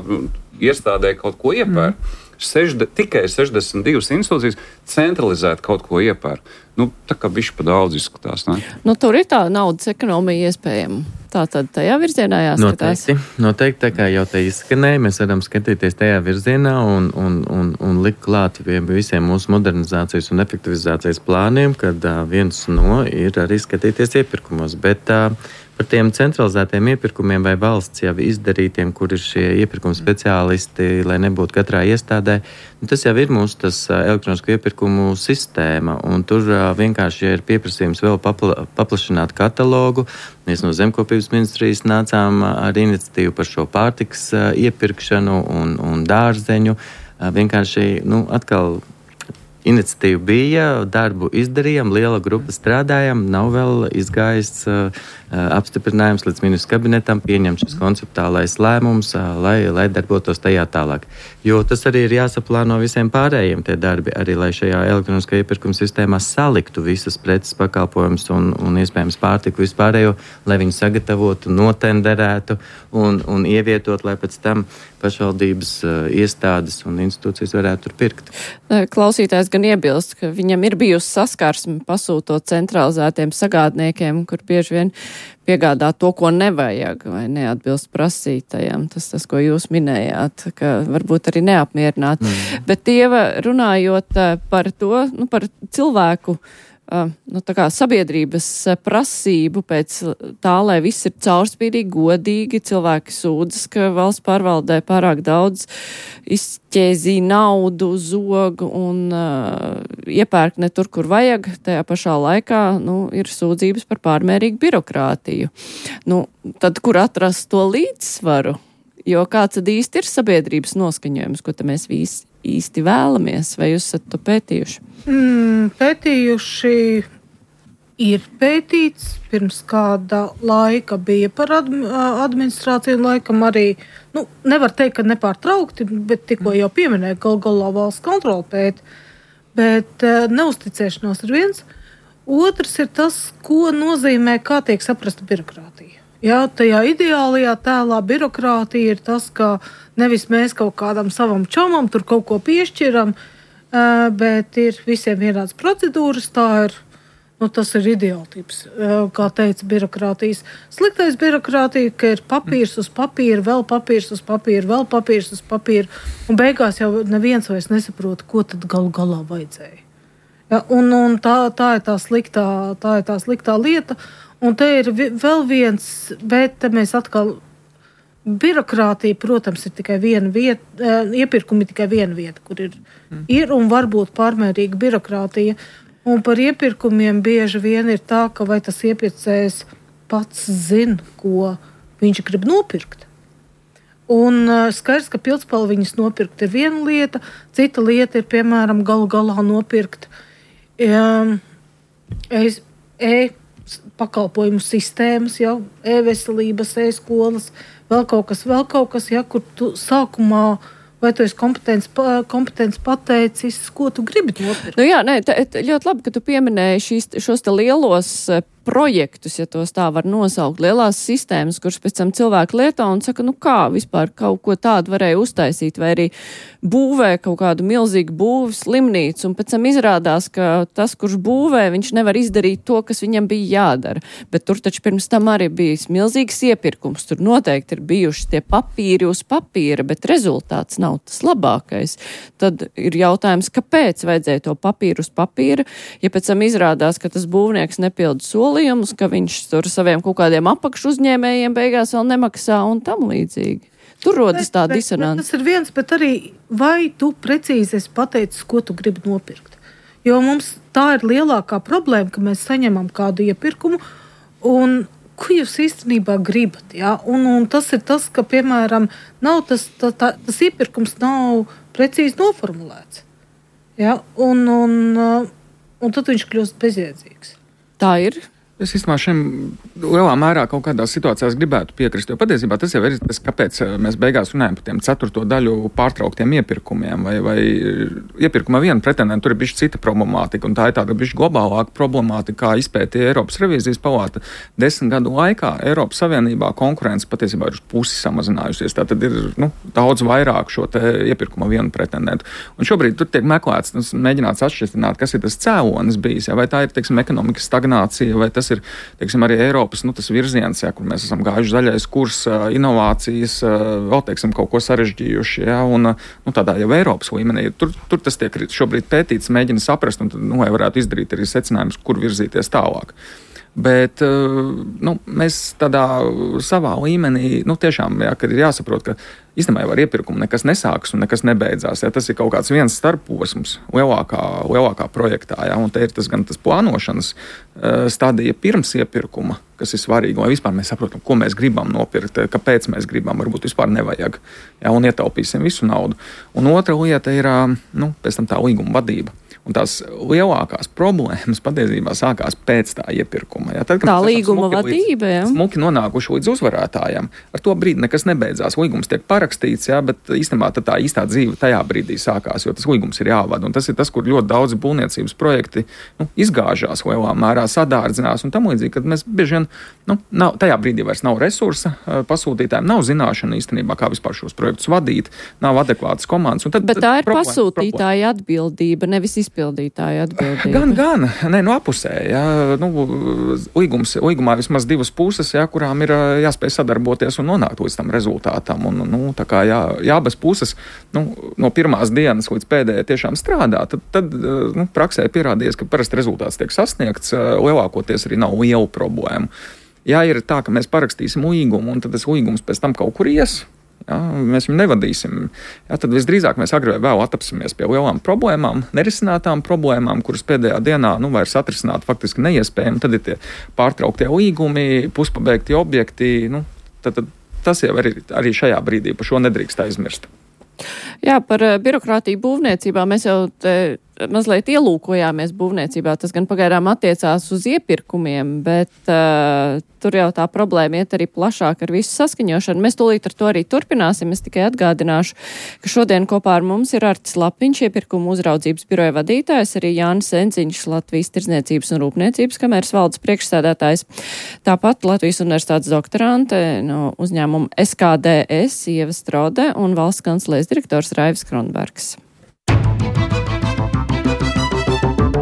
iestādē kaut ko iepērk. Mm. Sešde, tikai sešdesmit divas institūcijas centralizēt kaut ko iepērk. Nu, tā kā bišķi pa daudz izskatās, ne? Nu, tur ir tā naudas ekonomija iespējama. Tā tad tajā virzienā jāskatās. Noteikti, noteikti, tā kā jau te izskanēja, mēs varam skatīties tajā virzienā un, un, un, un likt klāt pie visiem mūsu modernizācijas un efektivizācijas plāniem, kad uh, viens no ir arī skatīties iepirkumos. Bet uh, par tiem centralizētiem iepirkumiem vai valsts jau izdarītiem, kur ir šie iepirkuma speciālisti, lai nebūtu katrā iestādē, nu, tas jau ir mūsu tas uh, elektronisko iepirkumu sistēma, un tur uh, vienkārši ir pieprasījums vēl papla, paplašināt katalogu. Mēs no Zemkopības ministrijas nācām ar iniciatīvu par šo pārtikas uh, iepirkšanu un, un dārzeņu. Uh, vienkārši, nu, atkal iniciatīva bija, darbu izdarījām, liela grupa strādājām, nav vēl izgājis uh, apstiprinājums līdz ministru kabinetam, pieņemt šis konceptuālais lēmums, uh, lai, lai darbotos tajā tālāk. Jo tas arī ir jāsaplāno visiem pārējiem tie darbi, arī lai šajā elektroniskajā iepirkuma sistēmā saliktu visas preces pakalpojumus un, un iespējams pārtiku vispārējo, lai viņu sagatavotu, notenderētu un, un ievietot, lai pēc tam pašvaldības iestādes un institūcijas varētu tur pirkt. Klausītājs gan iebilst, ka viņam ir bijusi saskarsme pasūtot centralizētiem sagādniekiem, kur bieži vien piegādā to, ko nevajag vai neatbilst prasītajam. Tas, tas, ko jūs minējāt, ka varbūt arī neapmierināt. Mm. Bet, Ieva, runājot par to, nu, par cilvēku, nu, tā kā sabiedrības prasību pēc tā, lai viss ir caurspīdīgi, godīgi, cilvēki sūdzas, ka valsts pārvaldē pārāk daudz izķēzī naudu, zogu un uh, iepērk ne tur, kur vajag. Tajā pašā laikā, nu, ir sūdzības par pārmērīgu birokrātiju. Nu, tad, kur atrast to līdzsvaru? Jo kāds tad īsti ir sabiedrības noskaņojums, ko te mēs visi īsti vēlamies, vai jūs esat to pētījuši? Mm, pētījuši ir pētīts, pirms kāda laika bija par administrāciju, un laikam arī, nu, nevar teikt, ka nepārtraukti, bet tikko jau pieminēja, gal galā valsts kontrola pēta, bet neusticēšanās ir viens. Otrs ir tas, ko nozīmē, kā tiek saprasta birokrātija. Jā, tajā ideālajā tēlā birokrātija ir tas, ka nevis mēs kaut kādam savam čomam tur kaut ko piešķiram, bet ir visiem vienāds procedūras, tā ir, nu, tas ir ideāltips, kā teica birokrātijas. Sliktais birokrātija, ka ir papīrs uz papīra, vēl papīrs uz papīra, vēl papīrs uz papīra, un beigās jau neviens vairs nesaprot, ko tad galu galā vajadzēja. Ja, un un tā, tā, ir tā, sliktā, tā ir tā sliktā lieta. Un te ir vēl viens, bet mēs atkal, birokrātija, protams, ir tikai viena vieta, iepirkumi tikai viena vieta, kur ir, mm. ir un varbūt pārmērīga birokrātija. Un par iepirkumiem bieži vien ir tā, ka vai tas iepirkējs pats zina, ko viņš grib nopirkt. Un skaidrs, ka pildspalviņas nopirkt ir viena lieta, cita lieta ir, piemēram, galu galā nopirkt um, es, e pakalpojumu sistēmas, jau e-veselības, e-skolas, vēl kaut kas, vēl kaut kas, ja, kur tu sākumā, vai tu esi kompetents, kompetents pateicis, ko tu gribi nopirkt? Nu jā, nē, tā, ļoti labi, ka tu pieminēji šīs, šos te lielos projektus, ja tos tā var nosaukt, lielās sistēmas, kuras pēc tam cilvēki lieto un saka, nu kā vispār kaut ko tādu varēja uztaisīt, vai arī būvē kaut kādu milzīgu būvu slimnīcu, un pēc tam izrādās, ka tas, kurš būvē, viņš nevar izdarīt to, kas viņam bija jādara. Bet tur taču pirms tam arī bijis milzīgs iepirkums, tur noteikti ir bijuši tie papīri uz papīra, bet rezultāts nav tas labākais. Tad ir jautājums, kāpēc vajadzēja to papīru uz papīra, ja pēc tam izrādās, ka tas būvnieks nepilda soli, ka viņš tur saviem kaut kādiem apakšu uzņēmējiem beigās vēl nemaksā un tam līdzīgi. Tur rodas tā disonance. Tas ir viens, bet arī vai tu precīzi esi pateicis, ko tu gribi nopirkt. Jo mums tā ir lielākā problēma, ka mēs saņemam kādu iepirkumu un ko jūs īstenībā gribat. Ja? Un, un tas ir tas, ka, piemēram, nav tas, tā, tā, tas iepirkums nav precīzi noformulēts. Ja? Un, un, un tad viņš kļūst bezjēdzīgs. Tā ir. Es īstenībā šiem lielā mērā kaut kādās situācijās gribētu piekrist, jo patiesībā tas jau ir tas, kāpēc mēs beigās runājam par tiem ceturto daļu pārtrauktiem iepirkumiem, vai, vai iepirkuma viena pretendenta, tur ir bišķi cita problemātika, un tā ir tāda bišķi globālāka problemātika, kā izpētīja Eiropas revīzijas palāta. Desmit gadu laikā Eiropas Savienībā konkurence patiesībā ir uz pusi samazinājusies, tā tad ir, nu, daudz vairāk šo te iepirkuma vienu pretendentu. Un šobrīd tur tiek meklēts, tas mēģināts atšķirt, kas ir tas cēlonis bijis, ja, vai tā ir, teiksim, ekonomikas stagnācija, vai tas ir, teiksim, arī Eiropas, nu, tas virziens, ja, kur mēs esam gājuši zaļais kurs, inovācijas, vēl, teiksim, kaut ko sarežģījuši, ja, un, nu, tādā jau Eiropas līmenī. Tur, tur tas tiek šobrīd pētīts, mēģina saprast, un tad, nu, lai varētu izdarīt arī secinājumus, kur virzīties tālāk. Bet, nu, mēs tādā savā līmenī, nu, tiešām, jā, kad ir jāsaprot, ka īstenībā jau ar iepirkumu nekas nesāks un nekas nebeidzās. Jā, tas ir kaut kāds viens starposms lielākā, lielākā projektā, jā, un te ir tas gan tas plānošanas stadija pirms iepirkuma, kas ir svarīgi, lai vispār mēs saprotam, ko mēs gribam nopirkt, kāpēc mēs gribam, varbūt vispār nevajag, jā, un ietaupīsim visu naudu. Un otra lieta ir, nu, pēc tam tā līguma vadība. Un tās lielākās problēmas patiesībā sākās pēc tā iepirkuma. Ja? Tad, tā līguma vadība, jā. Smuki nonākuši līdz uzvarētājiem. Ar to brīdi nekas nebeidzās. Līgums tiek parakstīts, jā, bet īstenībā tā īstā dzīve tajā brīdī sākās, jo tas līgums ir jāvada. Un tas ir tas, kur ļoti daudzi būvniecības projekti nu, izgāžās lielā mērā, sadārdzinās un tam līdzīgi, kad mēs bieži vien, nu, nav, tajā brīdī vairs nav resursa pasūtītājiem, nav zināšana īstenībā, kā vispār šos projektus vadīt, nav adekvātas komandas. Un tad, bet tā ir problēma, pasūtītāja atbildība, nevis izpildītāja atbildība. Gan, gan, ne, no apusē, jā, nu, līgums, līgumā vismaz divas puses, jā, kurām ir jāspēj sadarboties un nonākt līdz tam rezultātam. Un, nu, tā kā jā, jā, bez puses, nu, no pirmās dienas līdz pēdējai tiešām strādā, tad, tad nu, praksē pierādījies, ka parasti rezultāts tiek sasniegts, lielākoties arī nav lielu problēmu. Jā, ir tā, ka mēs parakstīsim līgumu, un tad tas līgums pēc tam kaut kur ies. Jā, mēs viņu nevadīsim. Jā, tad visdrīzāk mēs agrāk vai vēl atapsimies pie lielām problēmām, nerisinātām problēmām, kuras pēdējā dienā nu, vairs atrisināt faktiski neiespējami. Tad ir tie pārtrauktie līgumi, puspabeigti objekti. Nu, tad, tad tas jau arī, arī šajā brīdī par šo nedrīkst aizmirst. Jā, par birokrātiju būvniecībā mēs jau te mazliet ielūkojāmies būvniecībā. Tas gan pagaidām attiecās uz iepirkumiem, bet uh, tur jau tā problēma iet arī plašāk ar visu saskaņošanu. Mēs tūlīt ar to arī turpināsim. Es tikai atgādināšu, ka šodien kopā ar mums ir Artis Lapiņš, iepirkumu uzraudzības biroja vadītājs, arī Jānis Enziņš, Latvijas Tirdzniecības un Rūpniecības kameras valdes priekšsēdētājs. Tāpat Latvijas universitātes doktorante no uzņēmuma S K D S Ieva Strode un valsts kancelēs direktors Raivis Kronbergs.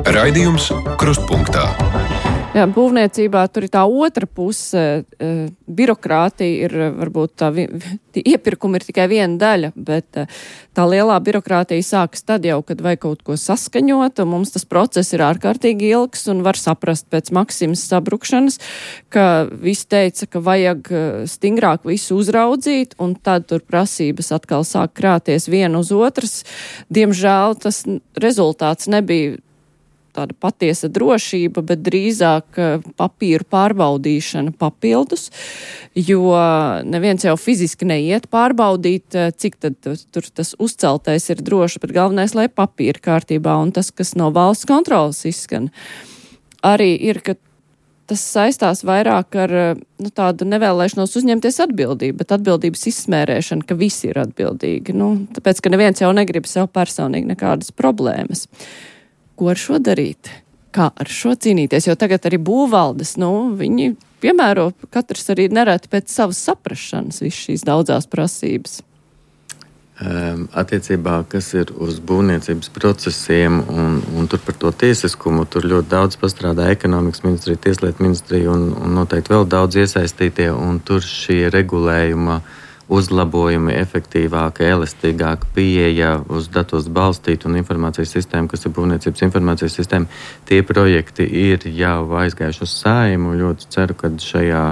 Raidījums Krustpunktā. Jā, būvniecībā tur ir tā otra puse. E, birokrātija ir varbūt tā, vi, iepirkuma ir tikai viena daļa, bet e, tā lielā birokrātija sākas tad jau, kad vajag kaut ko saskaņot, un mums tas process ir ārkārtīgi ilgs un var saprast pēc Maksimas sabrukšanas, ka visi teica, ka vajag stingrāk visu uzraudzīt, un tad tur prasības atkal sāk krāties viena uz otras. Diemžēl tas rezultāts nebija tāda patiesa drošība, bet drīzāk papīru pārbaudīšana papildus, jo neviens jau fiziski neiet pārbaudīt, cik tad tur tas uzceltais ir droši, bet galvenais, lai papīri kārtībā, un tas, kas no valsts kontrolas izskan, arī ir, ka tas saistās vairāk ar nu, tādu nevēlēšanos uzņemties atbildību, bet atbildības izsmērēšana, ka visi ir atbildīgi. Nu, tāpēc, ka neviens jau negrib sev personīgi nekādas problēmas. Ko ar šo darīt? Kā ar šo cīnīties? Jo tagad arī būvvaldes, nu, viņi piemēro katrs arī nereti pēc savas saprašanas visu šīs daudzās prasības. Um, attiecībā, kas ir uz būvniecības procesiem un, un tur par to tiesiskumu, tur ļoti daudz pastrādā ekonomikas ministrija, tieslietu ministrija un, un noteikti vēl daudz iesaistītie, un tur šie regulējuma uzlabojumi, efektīvāka, elastīgāka pieeja uz datos balstītu un informācijas sistēmu, kas ir būvniecības informācijas sistēma. Tie projekti ir jau aizgājuši uz Saeimu. Ļoti ceru, ka šajā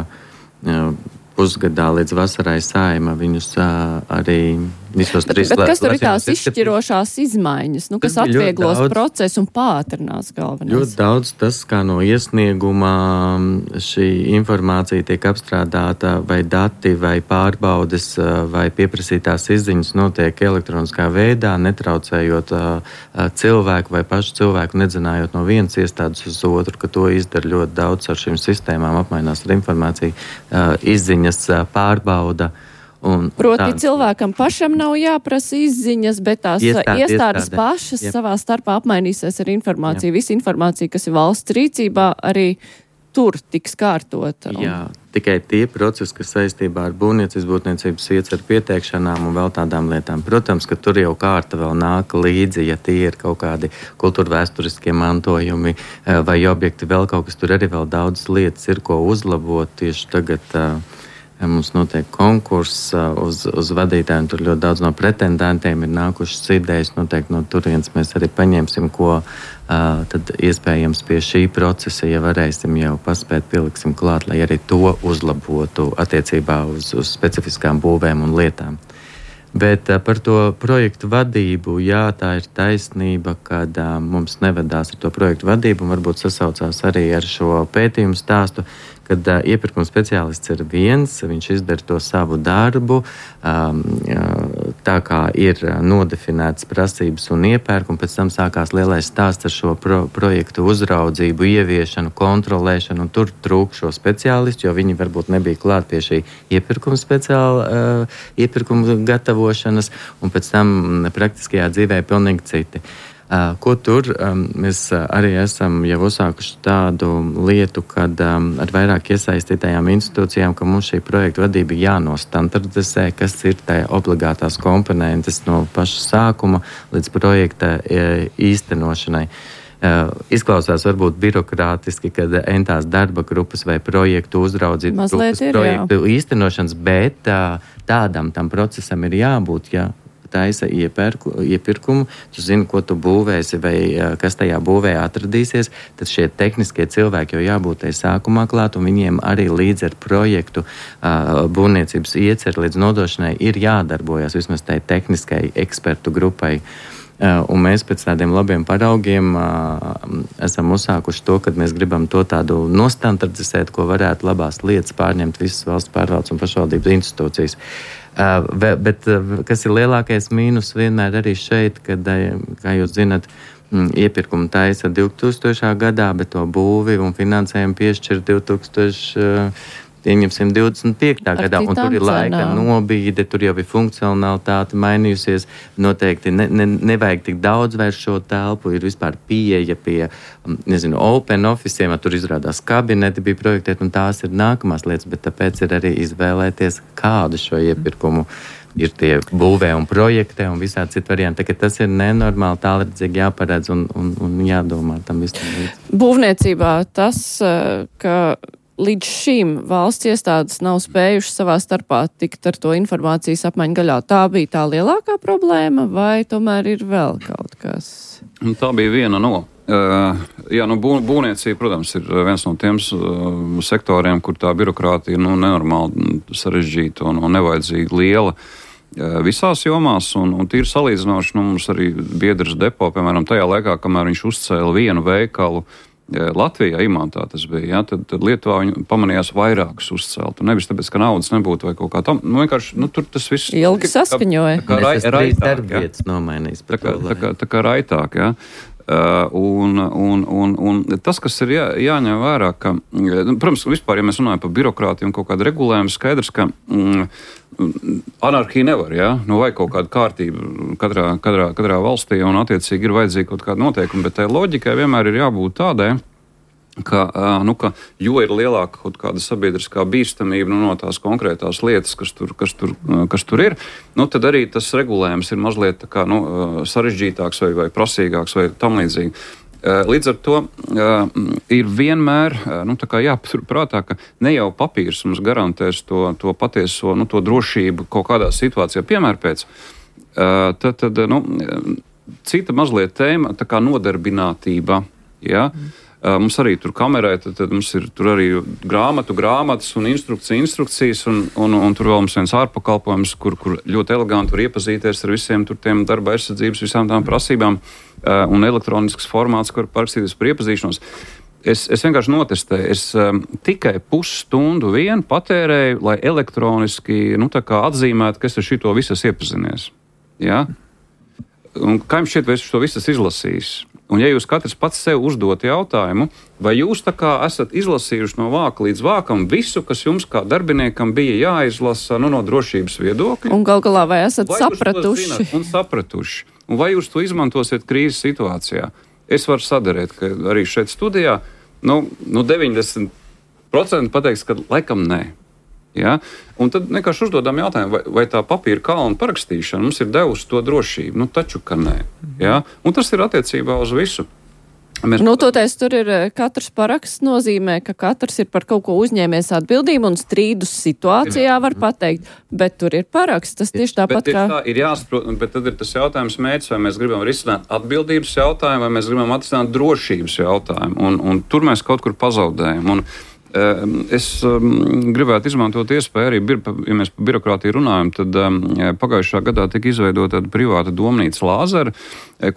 pusgadā līdz vasarai Saeima viņus arī visos trīs bet, bet kas tur ir tās izšķirošās izmaiņas, nu, kas atvieglos procesu un pātrinās galvenais? Ļoti daudz tas, kā no iesnieguma šī informācija tiek apstrādāta, vai dati, vai pārbaudes, vai pieprasītās izziņas notiek elektroniskā veidā, netraucējot cilvēku vai pašu cilvēku, nedzinājot no vienas iestādes uz otru, ka to izdara ļoti daudz ar šīm sistēmām, apmainās ar informāciju, izziņas pārbauda. Un, Proti tāds, cilvēkam pašam nav jāprasa izziņas, bet tās iestāde, iestādes iestāde. pašas Jep. savā starpā apmainīsies ar informāciju. Jep. Visa informācija, kas ir valsts rīcībā, arī tur tiks kārtota. Jā, tikai tie procesi, kas saistībā ar būvniecības, būvniecības ietver pieteikšanām un vēl tādām lietām. Protams, ka tur jau kārta vēl nāk līdzi, ja tie ir kaut kādi kultūrvēsturiskie mantojumi vai objekti, vēl kaut kas, tur arī vēl daudz lietas ir, ko uzlabot tieši tagad. Mums notiek konkurss uz, uz vadītājiem, tur ļoti daudz no pretendentiem ir nākušas idejas, noteikti no turienes mēs arī paņemsim, ko uh, tad iespējams pie šī procesa, ja varēsim jau paspēt, pieliksim klāt, lai arī to uzlabotu attiecībā uz, uz specifiskām būvēm un lietām. Bet uh, par to projektu vadību, jā, tā ir taisnība, kad uh, mums nevedās ar to projektu vadību un varbūt sasaucās arī ar šo pētījumu stāstu, kad uh, iepirkuma speciālists ir viens, viņš izdara to savu darbu, um, uh, tā kā ir nodefinētas prasības un iepērk, un pēc tam sākās lielais stāsts ar šo pro, projektu uzraudzību, ieviešanu, kontrolēšanu, un tur trūk šo speciālistu, jo viņi varbūt nebija klāt pie šī iepirkuma speciāla uh, iepirkuma gatavošanas, un pēc tam praktiskajā dzīvē pilnīgi citi. Uh, ko tur um, mēs arī esam jau uzsākuši tādu lietu, kad um, ar vairāk iesaistītajām institūcijām, ka mums šī projekta vadība jānostandardizē, kas ir tā obligātās komponentes no paša sākuma līdz projekta e, īstenošanai. Uh, izklausās varbūt birokrātiski, kad entās darba grupas vai projektu uzraudzību grupas ir, projektu jā. īstenošanas, bet uh, tādam tam procesam ir jābūt, ja taisa iepirku, iepirkumu, tu zini, ko tu būvēsi vai kas tajā būvē atradīsies, tad šie tehniskie cilvēki jau jābūt tai sākumā klāt, un viņiem arī līdz ar projektu uh, būvniecības ieceri līdz nodošanai ir jādarbojas vismaz tai tehniskai ekspertu grupai. Uh, un mēs pēc tādiem labiem paraugiem uh, esam uzsākuši to, kad mēs gribam to tādu nostandardizēt, ko varētu labās lietas pārņemt visas valsts pārvaldes un pašvaldības institūcijas. Uh, bet uh, kas ir lielākais mīnus vienmēr arī šeit, kad, uh, kā jūs zinat, mm, iepirkumu taisa divtūkstošajā gadā, bet to būvi un finansējumu piešķir divtūkstošais divdesmit piektajā gadā, un tur ir laika nobīde, tur jau ir funkcionalitāte mainījusies, noteikti ne, ne, nevajag tik daudz vairs šo telpu, ir vispār pieeja pie, nezinu, open officiem, tur izrādās kabineti bija projektēti, un tās ir nākamās lietas, bet tāpēc ir arī izvēlēties, kādu šo iepirkumu ir tie būvē un projektē un visādi citu varianti. Tā, tas ir nenormāli tālredzīgi jāparedz un, un, un jādomā tam visam. Būvniecībā tas, ka līdz šim valsts iestādes nav spējušas savā starpā tikt ar to informācijas apmaiņu gaļā. Tā bija tā lielākā problēma, vai tomēr ir vēl kaut kas? Tā bija viena no. Uh, jā, nu, bū, būvniecība, protams, ir viens no tiem uh, sektoriem, kur tā birokrātija nu, nenormāli sarežģīta un, un nevajadzīgi liela uh, visās jomās. Un, un tīri salīdzinoši, nu, mums arī biedrs depo, piemēram, tajā laikā, kamēr viņš uzcēla vienu veikalu Latvijā, Imantā tas bija, ja, tad, tad Lietuvā viņi pamanījās vairākus uzcelt. Un nevis tāpēc, ka naudas nebūtu vai kaut kā tam. Nu, vienkārši, nu, tur tas viss... Ilgi saskaņoja. Tā kā, tā kā raitāk, ja. nomainīs. Tā kā, tā kā, tā kā raitāk, ja. Uh, un, un, un, un tas, kas ir jā, jāņem vērā, ka, nu, protams, vispār, ja mēs runājam par birokrātiju un kaut kādu regulējumu, skaidrs, ka mm, anarhija nevar, ja? Nu, vai kaut kāda kārtība katrā, katrā, katrā valstī, un attiecīgi ir vajadzīgi kaut kāda noteikuma, bet tai loģikai vienmēr ir jābūt tādai, ka, nu, ka jo ir lielāka kaut kāda sabiedriskā bīstamība nu, no tās konkrētās lietas, kas tur, kas tur, kas tur ir, nu, tad arī tas regulējums ir mazliet tā kā, nu, sarežģītāks vai, vai prasīgāks vai tam līdzīgi. Līdz ar to ir vienmēr nu, jāpatur prātā, ka ne jau papīrs mums garantēs to, to patieso nu, to drošību kaut kādā situācijā. Piemēr pēc. Tad, tad, nu, cita mazliet tēma, tā kā nodarbinātība. Ja? Mums arī tur kamerē, tad, tad mums ir tur arī grāmatu, grāmatas un instrukcija, instrukcijas, un, un, un tur vēl mums viens ārpakalpojums, kur, kur ļoti eleganti var iepazīties ar visiem tur tiem darba aizsardzības, visām tām prasībām, un elektronisks formāts, kur parakstīties par iepazīšanos. Es, es vienkārši notestēju, es um, tikai pusstundu vien patērēju, lai elektroniski, nu tā kā atzīmētu, ka es ar šito visas iepazinies. Ja? Un kā jums šķiet, vai es to visas izlasījis? Un ja jūs katrs pats sev uzdot jautājumu, vai jūs tā kā esat izlasījuši no vāka līdz vākam visu, kas jums kā darbiniekam bija jāizlasa nu, no drošības viedokļa? Un gal galā vai esat vai sapratuši? Un sapratuši? Un vai jūs to izmantosiet krīzes situācijā? Es varu sadarēt, ka arī šeit studijā nu, nu deviņdesmit procenti pateiks, ka laikam nē. Ja? Un tad vienkārši uzdodam jautājumu, vai, vai tā papīra kalna parakstīšana mums ir devusi to drošību? Nu, taču, ka nē. Ja? Un tas ir attiecībā uz visu. Mēs... Nu, toties tur ir katrs paraksts nozīmē, ka katrs ir par kaut ko uzņēmies atbildību un strīdus situācijā var pateikt, bet tur ir paraksts. Tas tieši tāpat bet, kā... Tā ir jāsaprot, bet tad ir tas jautājums mērķis, vai mēs gribam risināt atbildības jautājumu, vai mēs gribam atrisināt drošības jautājumu. Un, un tur mēs kaut kur pazaudējam. Un, Es um, gribētu izmantot iespēju arī, bir, ja mēs par birokrātiju runājam, tad um, pagājušā gadā tika izveidota tāda privāta domnīca Lāzera,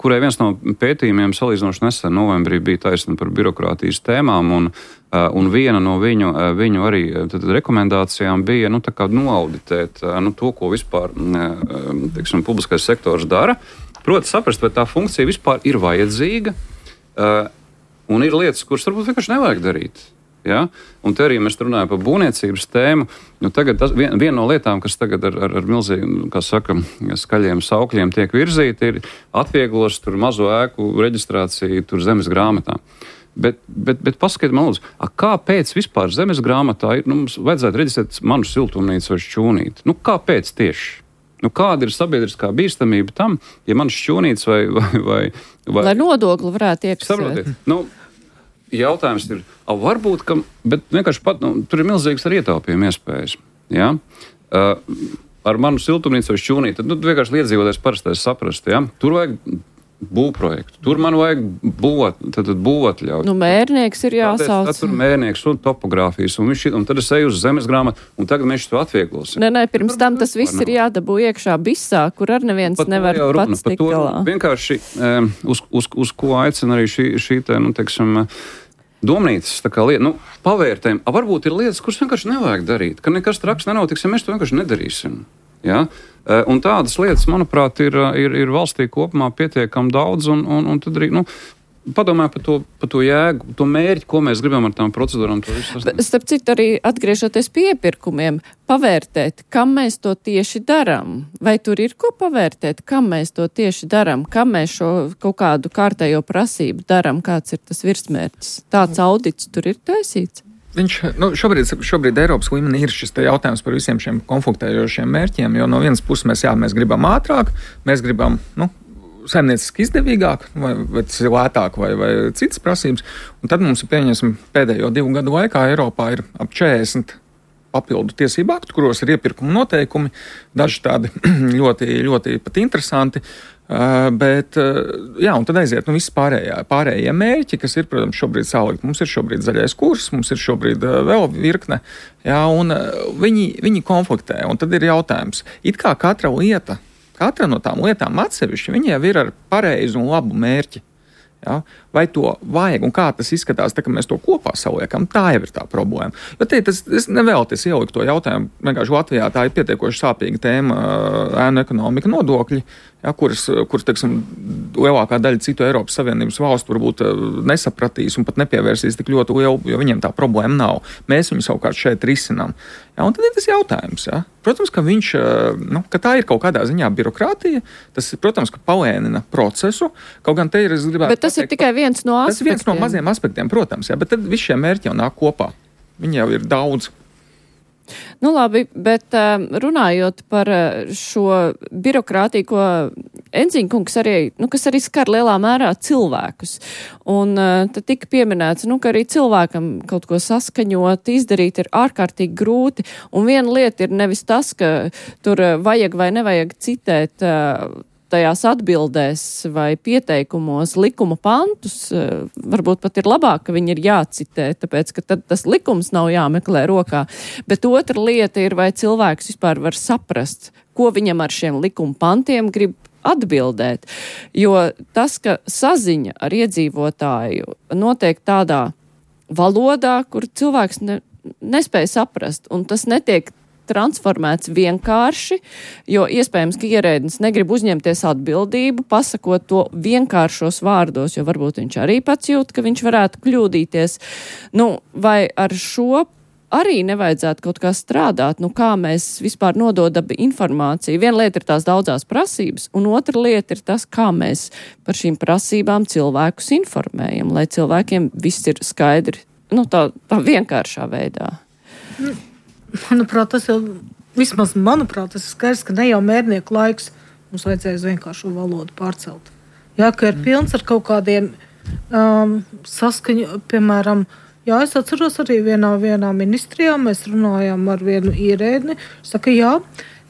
kurai viens no pētījumiem salīdzinoši nesen novembrī bija taisna par birokrātijas tēmām, un, uh, un viena no viņu, uh, viņu arī tad, rekomendācijām bija nu, tā kā noauditēt uh, nu, to, ko vispār uh, teiksim, publiskais sektors dara. Proti saprast, vai tā funkcija vispār ir vajadzīga, uh, un ir lietas, kuras varbūt vienkārši nevajag darīt. Ja? Un te arī mēs runājam par būvniecības tēmu. Nu, tagad tas, vien, viena no lietām, kas tagad ar, ar, ar milzīgiem, kā saka, skaļiem saukļiem tiek virzīta, ir atvieglos tur mazo ēku reģistrāciju tur zemes grāmatā. Bet, bet, bet paskatiet man lūdzu, a, kāpēc vispār zemes grāmatā ir, nu, mums vajadzētu reģistrēt manu siltumnīcu vai šķūnīti? Nu, kāpēc tieši? Nu, kāda ir sabiedriskā bīstamība tam, ja man šķūnīts vai, vai, vai, vai... Lai nodokli varētu iekasēt. Saprotiet, nu, jautājums ir, varbūt, ka, bet vienkārši pat, nu, tur ir milzīgas arī ietaupījuma iespējas. Ja? Uh, ar manu siltumnīcu vai šķūnīti, tad nu, vienkārši iedzīvotājs parastais saprast, ja? Tur vajag būvprojektu, tur man vajag būvot, tad, tad būvotļauju. Nu, mērnieks ir jāsauc. Tad tur mērnieks un topogrāfijas, un, viņš, un tad es eju uz zemes grāmatu, un tagad mēs to atvieglosim. Nē, nē, pirms tam tas viss ir jādabū iekšā bisā, kur ar neviens pat nevar pats tikt galā. Vienkārši um, uz, uz, uz ko aicina arī šī, šī te, nu, teiksim, domnīcas tā kā lieta, nu, pavērtējumi. A, varbūt ir lietas, kuras vienkārši nevajag darīt, ka nekas traks nenotiks, ja mēs to vienkārši nedarīsim. Ja? Un tādas lietas, manuprāt, ir, ir, ir valstī kopumā pietiekami daudz, un, un, un tad arī, nu, padomāju par to, par to jēgu, to mērķi, ko mēs gribam ar tām procedūrām. Starp citu, arī atgriežoties pie iepirkumiem, pavērtēt, kam mēs to tieši darām. Vai tur ir ko pavērtēt, kam mēs to tieši darām, kam mēs šo kaut kādu kārtējo prasību darām, kāds ir tas virsmērķis. Tāds audits tur ir taisīts. Viņš, nu, šobrīd, šobrīd Eiropas līmenī ir šis jautājums par visiem šiem konfliktējošiem mērķiem, jo no vienas puses mēs, jā, mēs gribam ātrāk, mēs gribam, nu, saimnieciski izdevīgāk, vai, vai tas ir lētāk, vai, vai citas prasības. Un tad mums ir, pieņemsim, pēdējo divu gadu laikā Eiropā ir ap četrdesmit papildu tiesību aktu, kuros ir iepirkuma noteikumi, daži tādi ļoti, ļoti pat interesanti. Uh, bet, uh, jā, un tad aiziet, nu, viss pārējā, pārējie mērķi, kas ir, protams, šobrīd salikt. Mums ir šobrīd zaļais kurs, mums ir šobrīd uh, vēl virkne, jā, un uh, viņi, viņi konfliktē, un tad ir jautājums. It kā katra lieta, katra no tām lietām atsevišķi, viņi jau ir ar pareizu un labu mērķi. Ja? Vai to vajag un kā tas izskatās, tā, ka mēs to kopā saliekam, tā jau ir tā problēma. Jo te, tas, es nevēlties ielikt to jautājumu, vienkārši Latvijā tā ir pietiekoši sāpīga tēma ēnu ekonomika nodokļi, ja, kuras, kuras, teiksim, lielākā daļa citu Eiropas Savienības valstu varbūt nesapratīs un pat nepievērsīs tik ļoti lielu, jo viņiem tā problēma nav. Mēs viņu savukārt šeit risinām. Ja, un tad ir tas jautājums, ja. Protams, ka viņš, nu, ka tā ir kaut kādā ziņā birokrātija, tas, protams, ka palēnina procesu, kaut gan te ir, es gribētu Bet tas pateikt, ir tikai viens no aspektiem. Tas ir viens no maziem aspektiem, protams, ja, bet tad visi šie mērķi jau nāk kopā. Viņi jau ir daudz. Nu labi, bet runājot par šo birokrātiju, ko Enziņkungs arī, nu, kas arī skar lielā mērā cilvēkus. Un tad tika pieminēts, nu, ka arī cilvēkam kaut ko saskaņot, izdarīt ir ārkārtīgi grūti. Un viena lieta ir nevis tas, ka tur vajag vai nevajag citēt tajās atbildēs vai pieteikumos likuma pantus, varbūt pat ir labāk, ka viņi ir jācitē, tāpēc, ka tad tas likums nav jāmeklē rokā. Bet otra lieta ir, vai cilvēks vispār var saprast, ko viņam ar šiem likuma pantiem grib atbildēt. Jo tas, ka saziņa ar iedzīvotāju notiek tādā valodā, kur cilvēks ne, nespēja saprast, un tas netiek transformēts vienkārši, jo iespējams, ka ierēdnis negrib uzņemties atbildību, pasakot to vienkāršos vārdos, jo varbūt viņš arī pats jūt, ka viņš varētu kļūdīties. Nu, vai ar šo arī nevajadzētu kaut kā strādāt, nu kā mēs vispār nododam informāciju. Viena lieta ir tās daudzās prasības, un otra lieta ir tas, kā mēs par šīm prasībām cilvēkus informējam, lai cilvēkiem viss ir skaidri, nu tā, tā vienkāršā veidā. Mm. Manuprāt, tas jau, vismaz manuprāt, tas ir skaidrs, ka ne jau mērnieku laiks mums vajadzēja uz vienkāršo valodu pārcelt. Jā, ka ir pilns ar kaut kādiem um, saskaņu, piemēram, jā, es atceros arī vienā, vienā ministrijā, mēs runājām ar vienu ierēdni, saka, jā,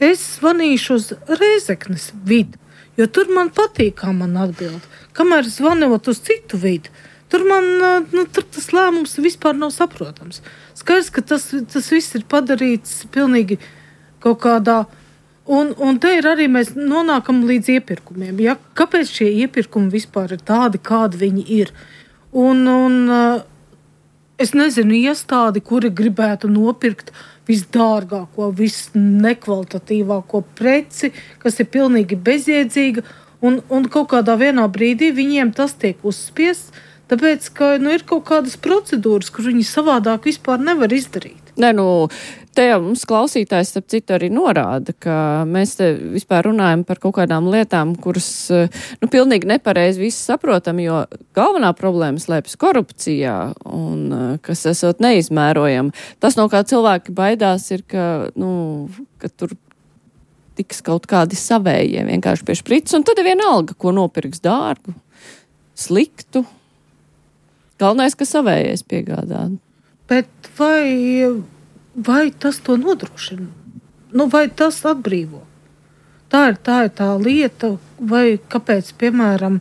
es zvanīšu uz Rēzeknes vidu, jo tur man patīk, kā man atbild. Kamēr zvanot uz citu vidu, tur man nu, tur tas lēmums vispār nav saprotams. Skaidrs, ka tas, tas viss ir padarīts pilnīgi kaut kādā. Un, un te ir arī mēs nonākam līdz iepirkumiem. Ja? Kāpēc šie iepirkumi vispār ir tādi, kādi viņi ir? Un, un es nezinu, iestādi, kuri gribētu nopirkt visdārgāko, visnekvalitatīvāko preci, kas ir pilnīgi bezjēdzīga, un, un kaut kādā vienā brīdī viņiem tas tiek uzspiests, tāpēc, ka nu, ir kaut kādas procedūras, kur viņi savādāk vispār nevar izdarīt. Nē, nu, te jau mums klausītājs, starp citu, arī norāda, ka mēs te vispār runājam par kaut kādām lietām, kuras, nu, pilnīgi nepareizi visi saprotam, jo galvenā problēma slēpjas korupcijā un kas esot neizmērojama. Tas, no kā cilvēki baidās, ir, ka, nu, ka tur tiks kaut kādi savējie vienkārši pie šprices, un tad ir vienalga, ko nopirks dārgu, sliktu. Galvenais, ka savējais piegādā. Bet vai, vai tas to nodrošina? Nu, vai tas atbrīvo? Tā ir tā, ir tā lieta, vai kāpēc, piemēram,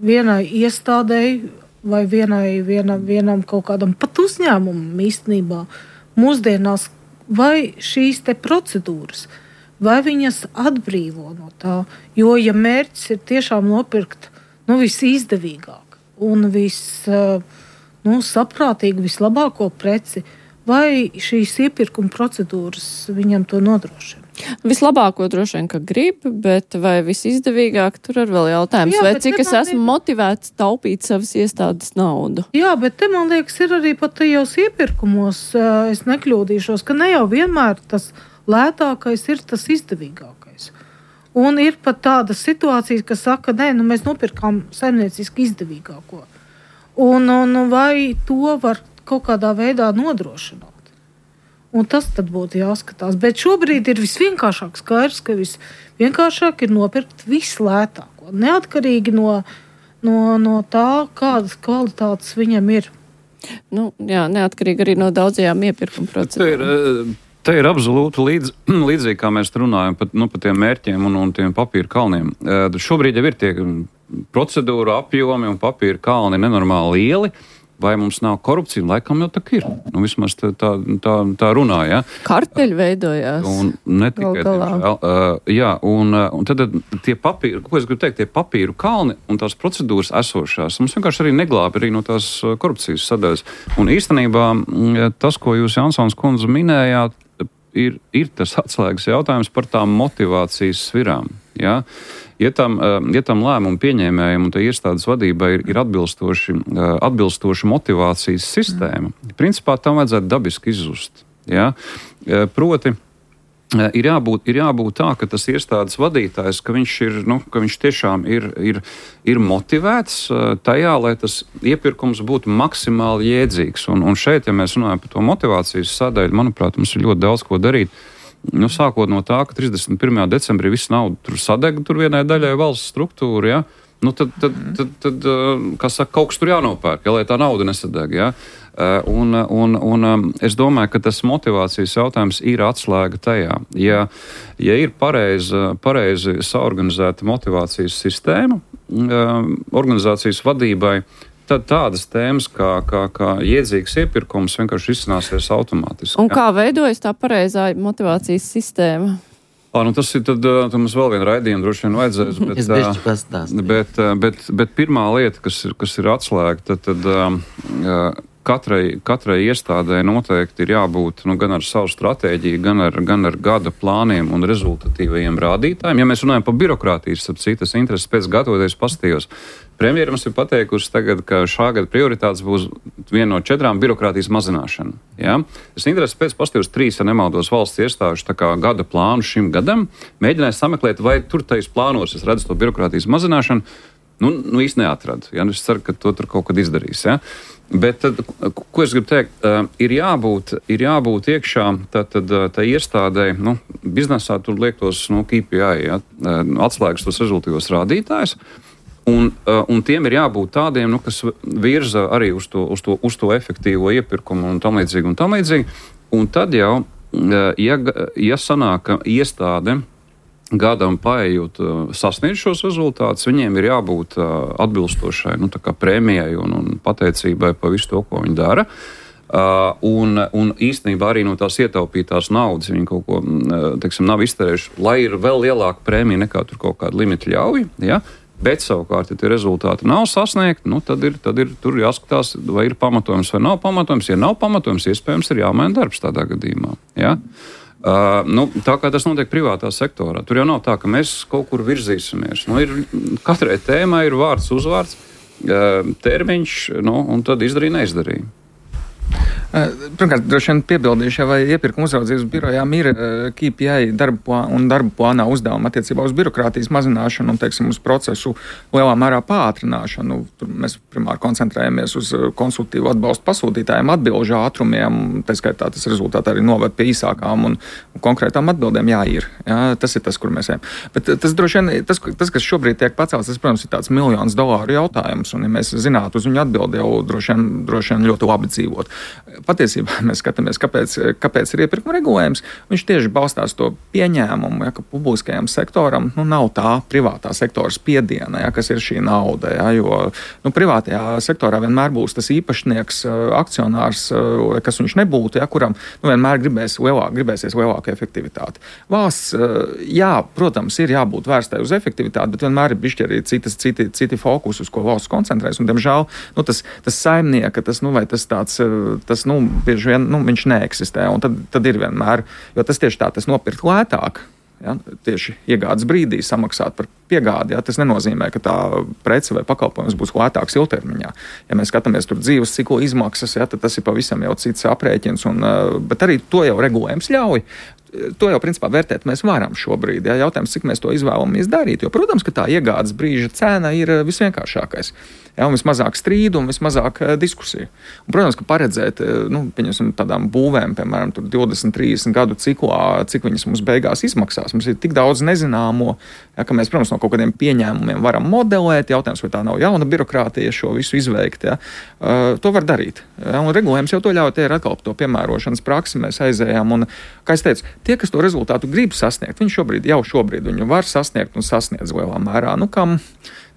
vienai iestādēji vai vienai, viena, vienam kaut kādam pat uzņēmumam īstenībā mūsdienās, vai šīs te procedūras, vai viņas atbrīvo no tā? Jo, ja mērķis ir tiešām nopirkt nu, visizdevīgāk un viss... Nu, saprātīgi, vislabāko preci, vai šīs iepirkuma procedūras viņam to nodrošina? Vislabāko droši vien, ka grib, bet vai visizdevīgāk, tur ir vēl jautājums, Jā, vai cik es esmu liek... motivēts taupīt savas iestādes naudu? Jā, bet te, man liekas, ir arī pat tajos iepirkumos, es nekļūdīšos, ka ne jau vienmēr tas lētākais ir tas izdevīgākais. Un ir pat tādas situācijas, kas saka, nē, nu mēs nopirkām saimnieciski izdevīgāko. Un, un vai to var kaut kādā veidā nodrošināt? Un tas tad būtu jāskatās. Bet šobrīd ir visvienkāršāk skaidrs, ka visvienkāršāk ir nopirkt vislētāko. Neatkarīgi no, no, no tā, kādas kvalitātes viņam ir. Nu, jā, neatkarīgi arī no daudzajām iepirkuma procedūrām. Te ir absolūti līdz, līdzīgi, kā mēs runājam par, nu, par tiem mērķiem un, un tiem papīra kalniem. Šobrīd jau ir tie procedūra apjomi un papīra kalni nenormāli lieli. Vai mums nav korupcija? Laikam jau tā ir. Nu, vismaz tā, tā, tā, tā runā, ja. Karteļi veidojās. Un ne tikai tiemžēl. Uh, jā, un, un tad tie papīri, ko es gribu teikt, tie papīru kalni un tās procedūras esošās, mums vienkārši arī neglābi arī no tās korupcijas sadaļas. Un īstenībā tas, ko jūs, Jansons kundze, minējāt, ir, ir tas atslēgas jautājums par tām motivācijas svirām, ja. Ja tam, ja tam lēmumu pieņēmējiem un iestādes vadībai ir, ir atbilstoši, atbilstoši motivācijas sistēma, principā tam vajadzētu dabiski izzust. Ja? Proti, ir jābūt, ir jābūt tā, ka tas iestādes vadītājs, ka viņš, ir, nu, ka viņš tiešām ir, ir, ir motivēts tajā, lai tas iepirkums būtu maksimāli jēdzīgs. Un, un šeit, ja mēs runājam par to motivācijas sadaļu, manuprāt, mums ir ļoti daudz ko darīt. Nu, sākot no tā, ka trīsdesmit pirmajā decembrī viss nauda tur sadega tur vienai daļai valsts struktūra, ja? Nu, tad, tad, tad, tad, kā saka, kaut kas tur jānopērk, ja, lai tā nauda nesadeg. Ja? Un, un, un es domāju, ka tas motivācijas jautājums ir atslēga tajā. Ja, ja ir pareizi, pareizi saorganizēta motivācijas sistēma organizācijas vadībai, tad tādas tēmas kā, kā, kā iedzīgs iepirkums vienkārši izcināsies automātiski. Un kā veidojas tā pareizā motivācijas sistēma? Ā, nu tas ir tad, tad mums vēl viena raidījuma droši vien vajadzēs. Bet, es bišķi pastāstīju. Bet, bet, bet pirmā lieta, kas ir, kas ir atslēga, tad, tad uh, katrai, katrai iestādē noteikti ir jābūt nu, gan ar savu stratēģiju, gan ar, gan ar gada plāniem un rezultatīvajiem rādītājiem. Ja mēs runājam par birokrātijas, ap citas intereses pēc gatavoties pastījos, premjera mums ir pateikusi tagad, ka šā gada prioritātes būs viena no četrām birokrātijas mazināšana. Ja? Es intereses pēc pastījos trīs, ja nemaldos, valsts iestāžu tā kā gada plānu šim gadam, mēģināju sameklēt, vai tur tais plānos es redzu to birokrātijas mazināšanu. Nu, nu īsti neatradu. Ja? Es ceru, ka to tur kaut kad izdarīs. Ja? Bet tad, ko es gribu teikt, ir jābūt, ir jābūt iekšā tā, tad, tā iestādē, nu, biznesā tur liek tos nu, K P I, ja? Atslēgas tos rezultīvos rādītājus. Un, un tiem ir jābūt tādiem, nu, kas virza arī uz to, uz to, uz to efektīvo iepirkumu un tam līdzīgi un tam līdzīgi. Un tad jau, ja, ja sanāk, ka iestāde gadam paejot sasniedz šos rezultātus, viņiem ir jābūt atbilstošai nu, tā kā prēmijai un, un pateicībai par visu to, ko viņi dara. Uh, un, un īstenībā arī no tās ietaupītās naudas viņi kaut ko, teiksim, nav izterējuši, lai ir vēl lielāka prēmija nekā tur kaut kāda limita ļauj, ja? Bet savukārt, ja tie rezultāti nav sasniegti, nu, tad, ir, tad ir tur jāskatās, vai ir pamatojums vai nav pamatojums. Ja nav pamatojums, iespējams, ir jāmaina darbs tādā gadījumā. Ja? Uh, nu, tā kā tas notiek privātā sektorā, tur jau nav tā, ka mēs kaut kur virzīsimies. Nu, ir, katrai tēmai ir vārds, uzvārds, uh, termiņš, nu, un tad izdarīja, neizdarīja. Pirmkārt, droši vien piebildīšu, vai iepirkuma uzraudzības birojām ir K P I darba plāna un darba plānā uzdevuma attiecībā uz birokrātijas mazināšanu un, teiksim, uz procesu lielā mērā pātrināšanu. Tur mēs primāri koncentrējamies uz konsultīvu atbalstu pasūtītājiem, atbilžu ātrumiem, tā skaitā tas rezultātā arī noved pie īsākām un konkrētām atbildēm. Jā, ir. Jā, tas ir tas, kur mēs ejam. Bet tas droši vien, tas, tas kas šobrīd tiek pacelts, tas, protams, ir tāds miljonus dolāru jautājums, un ja mēs zinātu uz viņu atbildi, jau droši vien, droši vien ļoti labi dzīvot. Patiesībā mēs skatāmies, kāpēc, kāpēc ir iepirkuma regulējums. Viņš tieši balstās to pieņēmumu, ja, ka publiskajam sektoram nu, nav tā privātā sektora spiediena, ja, kas ir šī nauda. Ja, jo nu, privātajā sektorā vienmēr būs tas īpašnieks, akcionārs, kas viņš nebūtu, ja, kuram nu, vienmēr gribēs lielāk, gribēsies lielāka efektivitāte. Valsts, jā, protams, ir jābūt vērstai uz efektivitāti, bet vienmēr ir bišķi arī citas, citi, citi fokus, uz ko valsts koncentrēs. Un, diemžēl, nu, tas, tas saimnieka, tas, nu, vai tas tāds, tas, nu, bieži vien, nu, viņš neeksistē, un tad, tad ir vienmēr, jo tas tieši tā, tas nopirkt lētāk, ja, tieši iegādes brīdī samaksāt par piegādi, ja, tas nenozīmē, ka tā prece vai pakalpojums būs lētāks ilgtermiņā. Ja mēs skatāmies tur dzīves ciklu izmaksas, ja, tad tas ir pavisam jau cits aprēķins, un, bet arī to jau regulējums ļauj. To jau, principā, vērtēt mēs varam šobrīd. Ja? Jautājums, cik mēs to izvēlamies darīt. Jo, protams, ka tā iegādes brīža cena ir visvienkāršākais. Ja? Un vismazāk strīdu un vismazāk diskusiju. Un, protams, ka paredzēt, nu, pieņemsim tādām būvēm, piemēram, tur divdesmit, trīsdesmit gadu ciklā, cik viņas mums beigās izmaksās. Mums ir tik daudz nezināmo, ja, ka mēs, protams, no kaut kādiem pieņēmumiem varam modelēt. Jautājums, vai tā nav jauna birokrātija šo visu izveikt. Ja? Uh, to var darīt. Ja? Un regulējums jau to ļauj, tie ir atkal to piemērošanas praksi, mēs aizējām. Un, kā es teicu, tie, kas to rezultātu grib sasniegt, viņi šobrīd, jau šobrīd viņu var sasniegt un sasniedz lielā mērā. Nu, kam,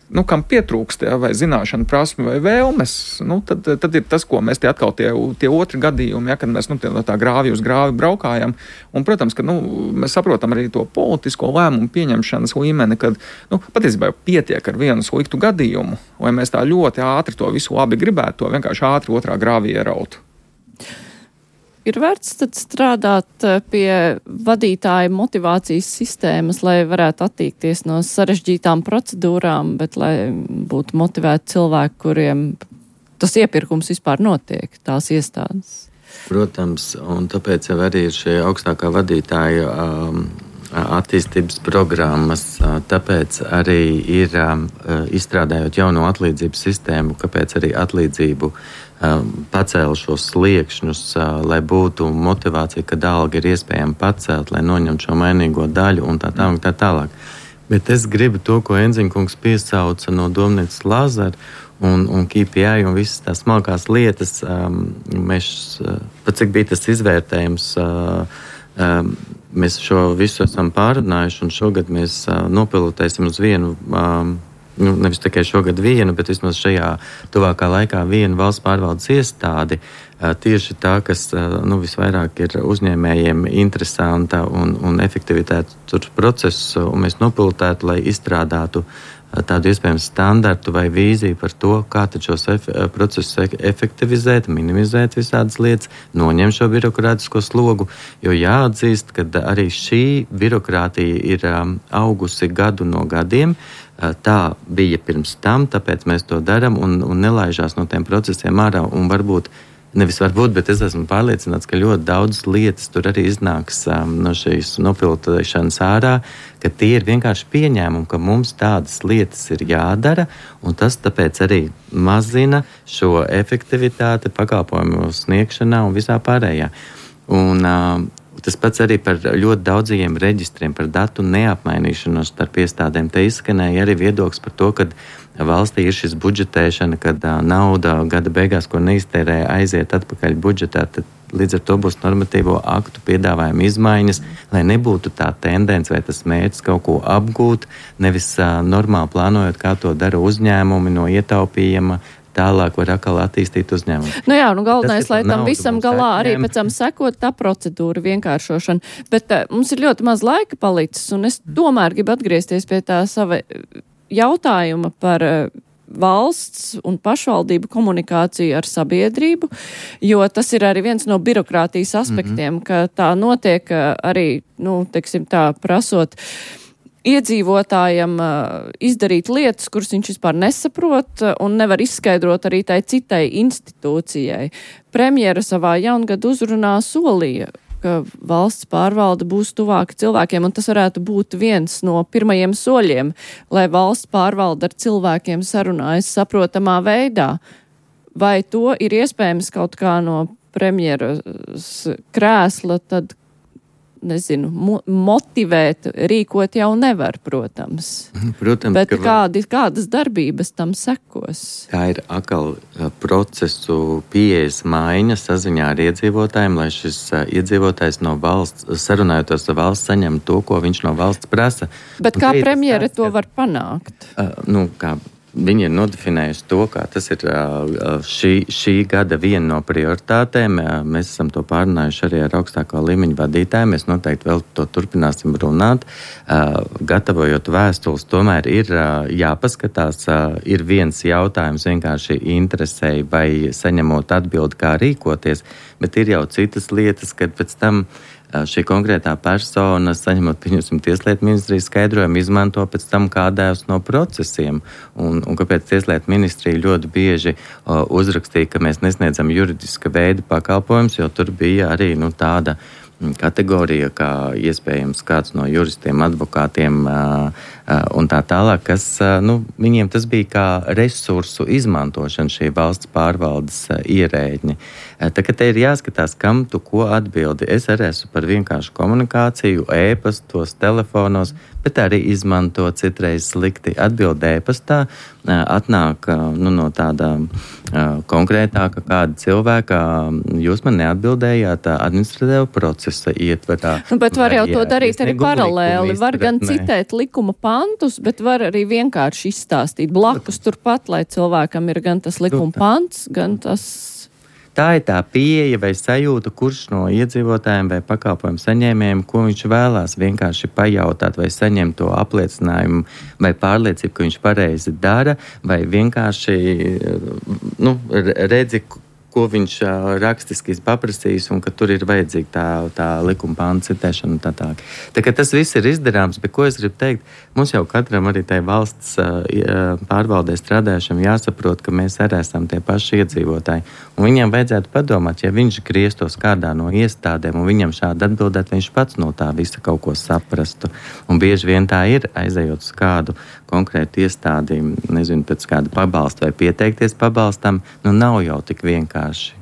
nu, kam pietrūkst, ja, vai zināšana, prasme vai vēlmes, nu, tad, tad ir tas, ko mēs tie atkal tie, tie otri gadījumi, ja, kad mēs nu, tie, tā grāvi uz grāvi braukājam. Un, protams, ka nu, mēs saprotam arī to politisko lēmumu pieņemšanas līmeni, kad nu, patiesībā pietiek ar vienu sliktu gadījumu, lai mēs tā ļoti ātri to visu labi gribētu, to vienkārši ātri otrā grāvī ierautu. Ir vērts tad strādāt pie vadītāja motivācijas sistēmas, lai varētu attīkties no sarežģītām procedūrām, bet lai būtu motivēti cilvēki, kuriem tas iepirkums vispār notiek, tās iestādes. Protams, un tāpēc jau arī ir šie augstākā vadītāja um, attīstības programmas, tāpēc arī ir um, izstrādājot jauno atlīdzību sistēmu, kāpēc arī atlīdzību pacēla šos sliekšņus, lai būtu motivācija, ka alga ir iespējama pacelt, lai noņemtu šo mainīgo daļu un tā tālāk, tā tālāk. Bet es gribu to, ko Enziņkungs piesauca no Domnīcas Lāzara un, un K P I un visas tās smalkās lietas. Um, mēs, pat cik bija tas izvērtējums, uh, um, mēs šo visu esam pārunājuši un šogad mēs uh, nopilotēsim uz vienu um, Nu, nevis tikai šogad vienu, bet vismaz šajā tuvākā laikā vienu valsts pārvaldes iestādi, tieši tā, kas nu, visvairāk ir uzņēmējiem interesanta un, un efektivitāte tur procesu, un mēs nopilotētu, lai izstrādātu tādu iespējams standartu vai vīziju par to, kā tad šos ef- procesus efektivizēt, minimizēt visādas lietas, noņemt šo birokrātisko slogu, jo jāatzīst, ka arī šī birokrātija ir um, augusi gadu no gadiem. Tā bija pirms tam, tāpēc mēs to darām un, un nelaižās no tiem procesiem ārā. Un varbūt, nevis varbūt, bet es esmu pārliecināts, ka ļoti daudz lietas tur arī iznāks um, no šīs nopilotēšanas ārā, ka tie ir vienkārši pieņēmumi, ka mums tādas lietas ir jādara, un tas tāpēc arī mazina šo efektivitāti pakalpojumu sniegšanā un visā pārējā. Un, um, Tas pats arī par ļoti daudzajiem reģistriem, par datu neapmainīšanos starp iestādēm. Te izskanēja arī viedoklis par to, ka valstī ir šis budžetēšana, kad nauda gada beigās, ko neiztērē, aiziet atpakaļ budžetā, tad līdz ar to būs normatīvo aktu piedāvājuma izmaiņas, lai nebūtu tā tendence vai tas mērķis kaut ko apgūt, nevis uh, normāli plānojot, kā to dara uzņēmumi no ietaupījuma, tālāk var atkal attīstīt uzņēmumu. Nu jā, nu galvenais, lai tam visam galā arī pēc tam sekot tā procedūra vienkāršošana. Bet uh, mums ir ļoti maz laika palicis, un es tomēr gribu atgriezties pie tā sava jautājuma par uh, valsts un pašvaldību komunikāciju ar sabiedrību, jo tas ir arī viens no birokrātijas aspektiem, mm-hmm. ka tā notiek uh, arī, nu, teiksim tā, prasot iedzīvotājam uh, izdarīt lietas, kuras viņš vispār nesaprot uh, un nevar izskaidrot arī tai citai institūcijai. Premjera savā jaungadu uzrunā solīja, ka valsts pārvalde būs tuvāka cilvēkiem, un tas varētu būt viens no pirmajiem soļiem, lai valsts pārvalde ar cilvēkiem sarunājas saprotamā veidā. Vai to ir iespējams kaut kā no premjeras krēsla, tad nezinu, mo- motivēt, rīkot jau nevar, protams. Protams, bet ka kādi, kādas darbības tam sekos? Tā ir atkal procesu pieejas maiņa saziņā ar iedzīvotājiem, lai šis iedzīvotājs no valsts, sarunājoties ar valsts, saņem to, ko viņš no valsts prasa. Bet Un kā te ir premjere tas, to ka, var panākt? Uh, nu, kā Viņi ir nodefinējuši to, ka tas ir šī, šī gada viena no prioritātēm. Mēs esam to pārunājuši arī ar augstāko līmeņu vadītājiem. Mēs noteikti vēl to turpināsim runāt. Gatavojot vēstules, tomēr ir jāpaskatās. Ir viens jautājums vienkārši interesēja vai saņemot atbildi, kā rīkoties, bet ir jau citas lietas, kad pēc tam šī konkrētā persona, saņemot, pieņemsim, Tieslietu ministrijas skaidrojumu, izmanto pēc tam kādējus no procesiem. Un, un kāpēc Tieslietu ministrija ļoti bieži uh, uzrakstīja, ka mēs nesniedzam juridiska veida pakalpojumus, jo tur bija arī nu, tāda kategorija, kā iespējams kāds no juristiem, advokātiem uh, uh, un tā tālāk, kas, uh, nu, viņiem tas bija kā resursu izmantošana šī valsts pārvaldes uh, ierēģi. Uh, tā kā te ir jāskatās, kam tu ko atbildi. Es arī esmu par vienkāršu komunikāciju, ēpastos, telefonos, bet arī izmanto citreiz slikti atbild ēpastā, uh, atnāk uh, nu, no tāda uh, konkrētāka kāda cilvēka, jūs man neatbildējāt uh, administratīvu procesu ietverā. Nu, bet var jau vai, to darīt arī paralēli. Var izturēt, gan ne. citēt likuma pantus, bet var arī vienkārši izstāstīt blakus turpat, lai cilvēkam ir gan tas likuma pants, gan tas... Tā ir tā pieeja vai sajūta, kurš no iedzīvotājiem vai pakalpojumu saņēmējiem, ko viņš vēlās vienkārši pajautāt vai saņemt to apliecinājumu vai pārliecību, ka viņš pareizi dara, vai vienkārši nu, redzi, ko viņš uh, rakstiski paprasīs un ka tur ir vajadzīga tā, tā likuma pānta citēšana un tā tālāk. Tā kā tas viss ir izdarāms, bet ko es gribu teikt, mums jau katram arī tai valsts uh, pārvaldē strādājušam jāsaprot, ka mēs arī esam tie paši iedzīvotāji. Un viņam vajadzētu padomāt, ja viņš grieztos kādā no iestādēm un viņam šādi atbildēt, viņš pats no tā visa kaut ko saprastu. Un bieži vien tā ir, aizejot uz kādu konkrētu iestādi, nezinu, pēc kāda pabalsta vai pieteikties pabalstam, nu nav jau tik vienkārši.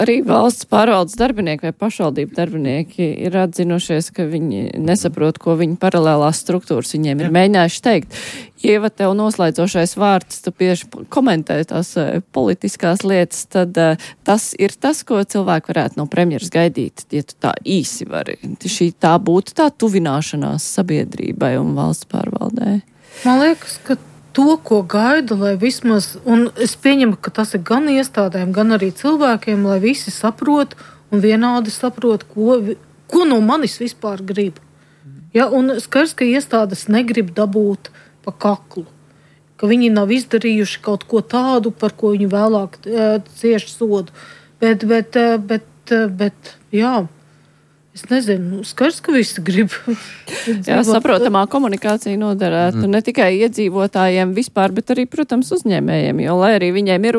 Arī valsts pārvaldes darbinieki vai pašvaldību darbinieki ir atzinušies, ka viņi nesaprot, ko viņa paralēlās struktūras viņiem ir mēģinājuši teikt. Ieva, tev noslēdzošais vārds, tu bieži komentē tās politiskās lietas, tad uh, tas ir tas, ko cilvēki varētu no premjeras gaidīt, ja tu tā īsi vari. Šī tā būtu tā tuvināšanās sabiedrībai un valsts pārvaldē. Man liekas, ka to, ko gaida, lai vismaz, un es pieņemu, ka tas ir gan iestādēm, gan arī cilvēkiem, lai visi saprot un vienādi saprot, ko, ko no manis vispār grib. Ja, un skaidrs, ka iestādes negrib dabūt pa kaklu, ka viņi nav izdarījuši kaut ko tādu, par ko viņi vēlāk uh, cieši sodu. Bet, bet, uh, bet, uh, bet, jā, Es nezinu, skaidrs, ka visi grib. Jā, saprotamā komunikācija noderētu mm. ne tikai iedzīvotājiem vispār, bet arī, protams, uzņēmējiem, jo, lai arī viņiem ir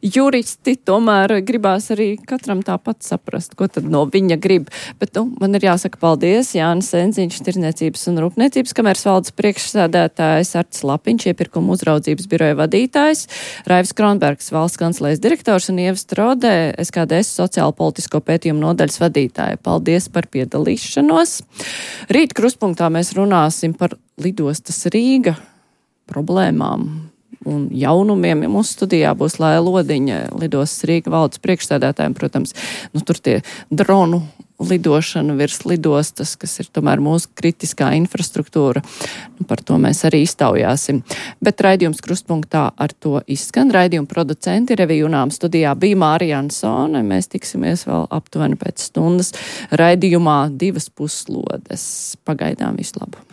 juristi, tomēr gribās arī katram tāpat saprast, ko tad no viņa grib. Bet, nu, man ir jāsaka paldies, Jānis Enziņš, Tirdzniecības un Rūpniecības kameras valdes priekšsēdētājs, Artis Lapiņš, iepirkuma uzraudzības biroja vadītājs, Raivis Kronbergs, valsts kancelejas direktors un Ieva Strode, S K D S sociālo politisko pētījumu nodaļas vadītāja. Paldies par piedalīšanos. Rīt krustpunktā mēs runāsim par lidostas Rīga problēmām un jaunumiem. Ja mūsu studijā būs Laila Lodiņa, lidostas Rīga valdes priekšsēdētājiem, protams, nu tur tie dronu lidošana virs lidostas, kas ir tomēr mūsu kritiskā infrastruktūra. Nu, par to mēs arī iztaujāsim. Bet raidījums krustpunktā ar to izskan. Raidījuma producenti Revija Junām studijā bija Mārija Ansone. Mēs tiksimies vēl aptuveni pēc stundas raidījumā divas puslodes. Pagaidām visu labu.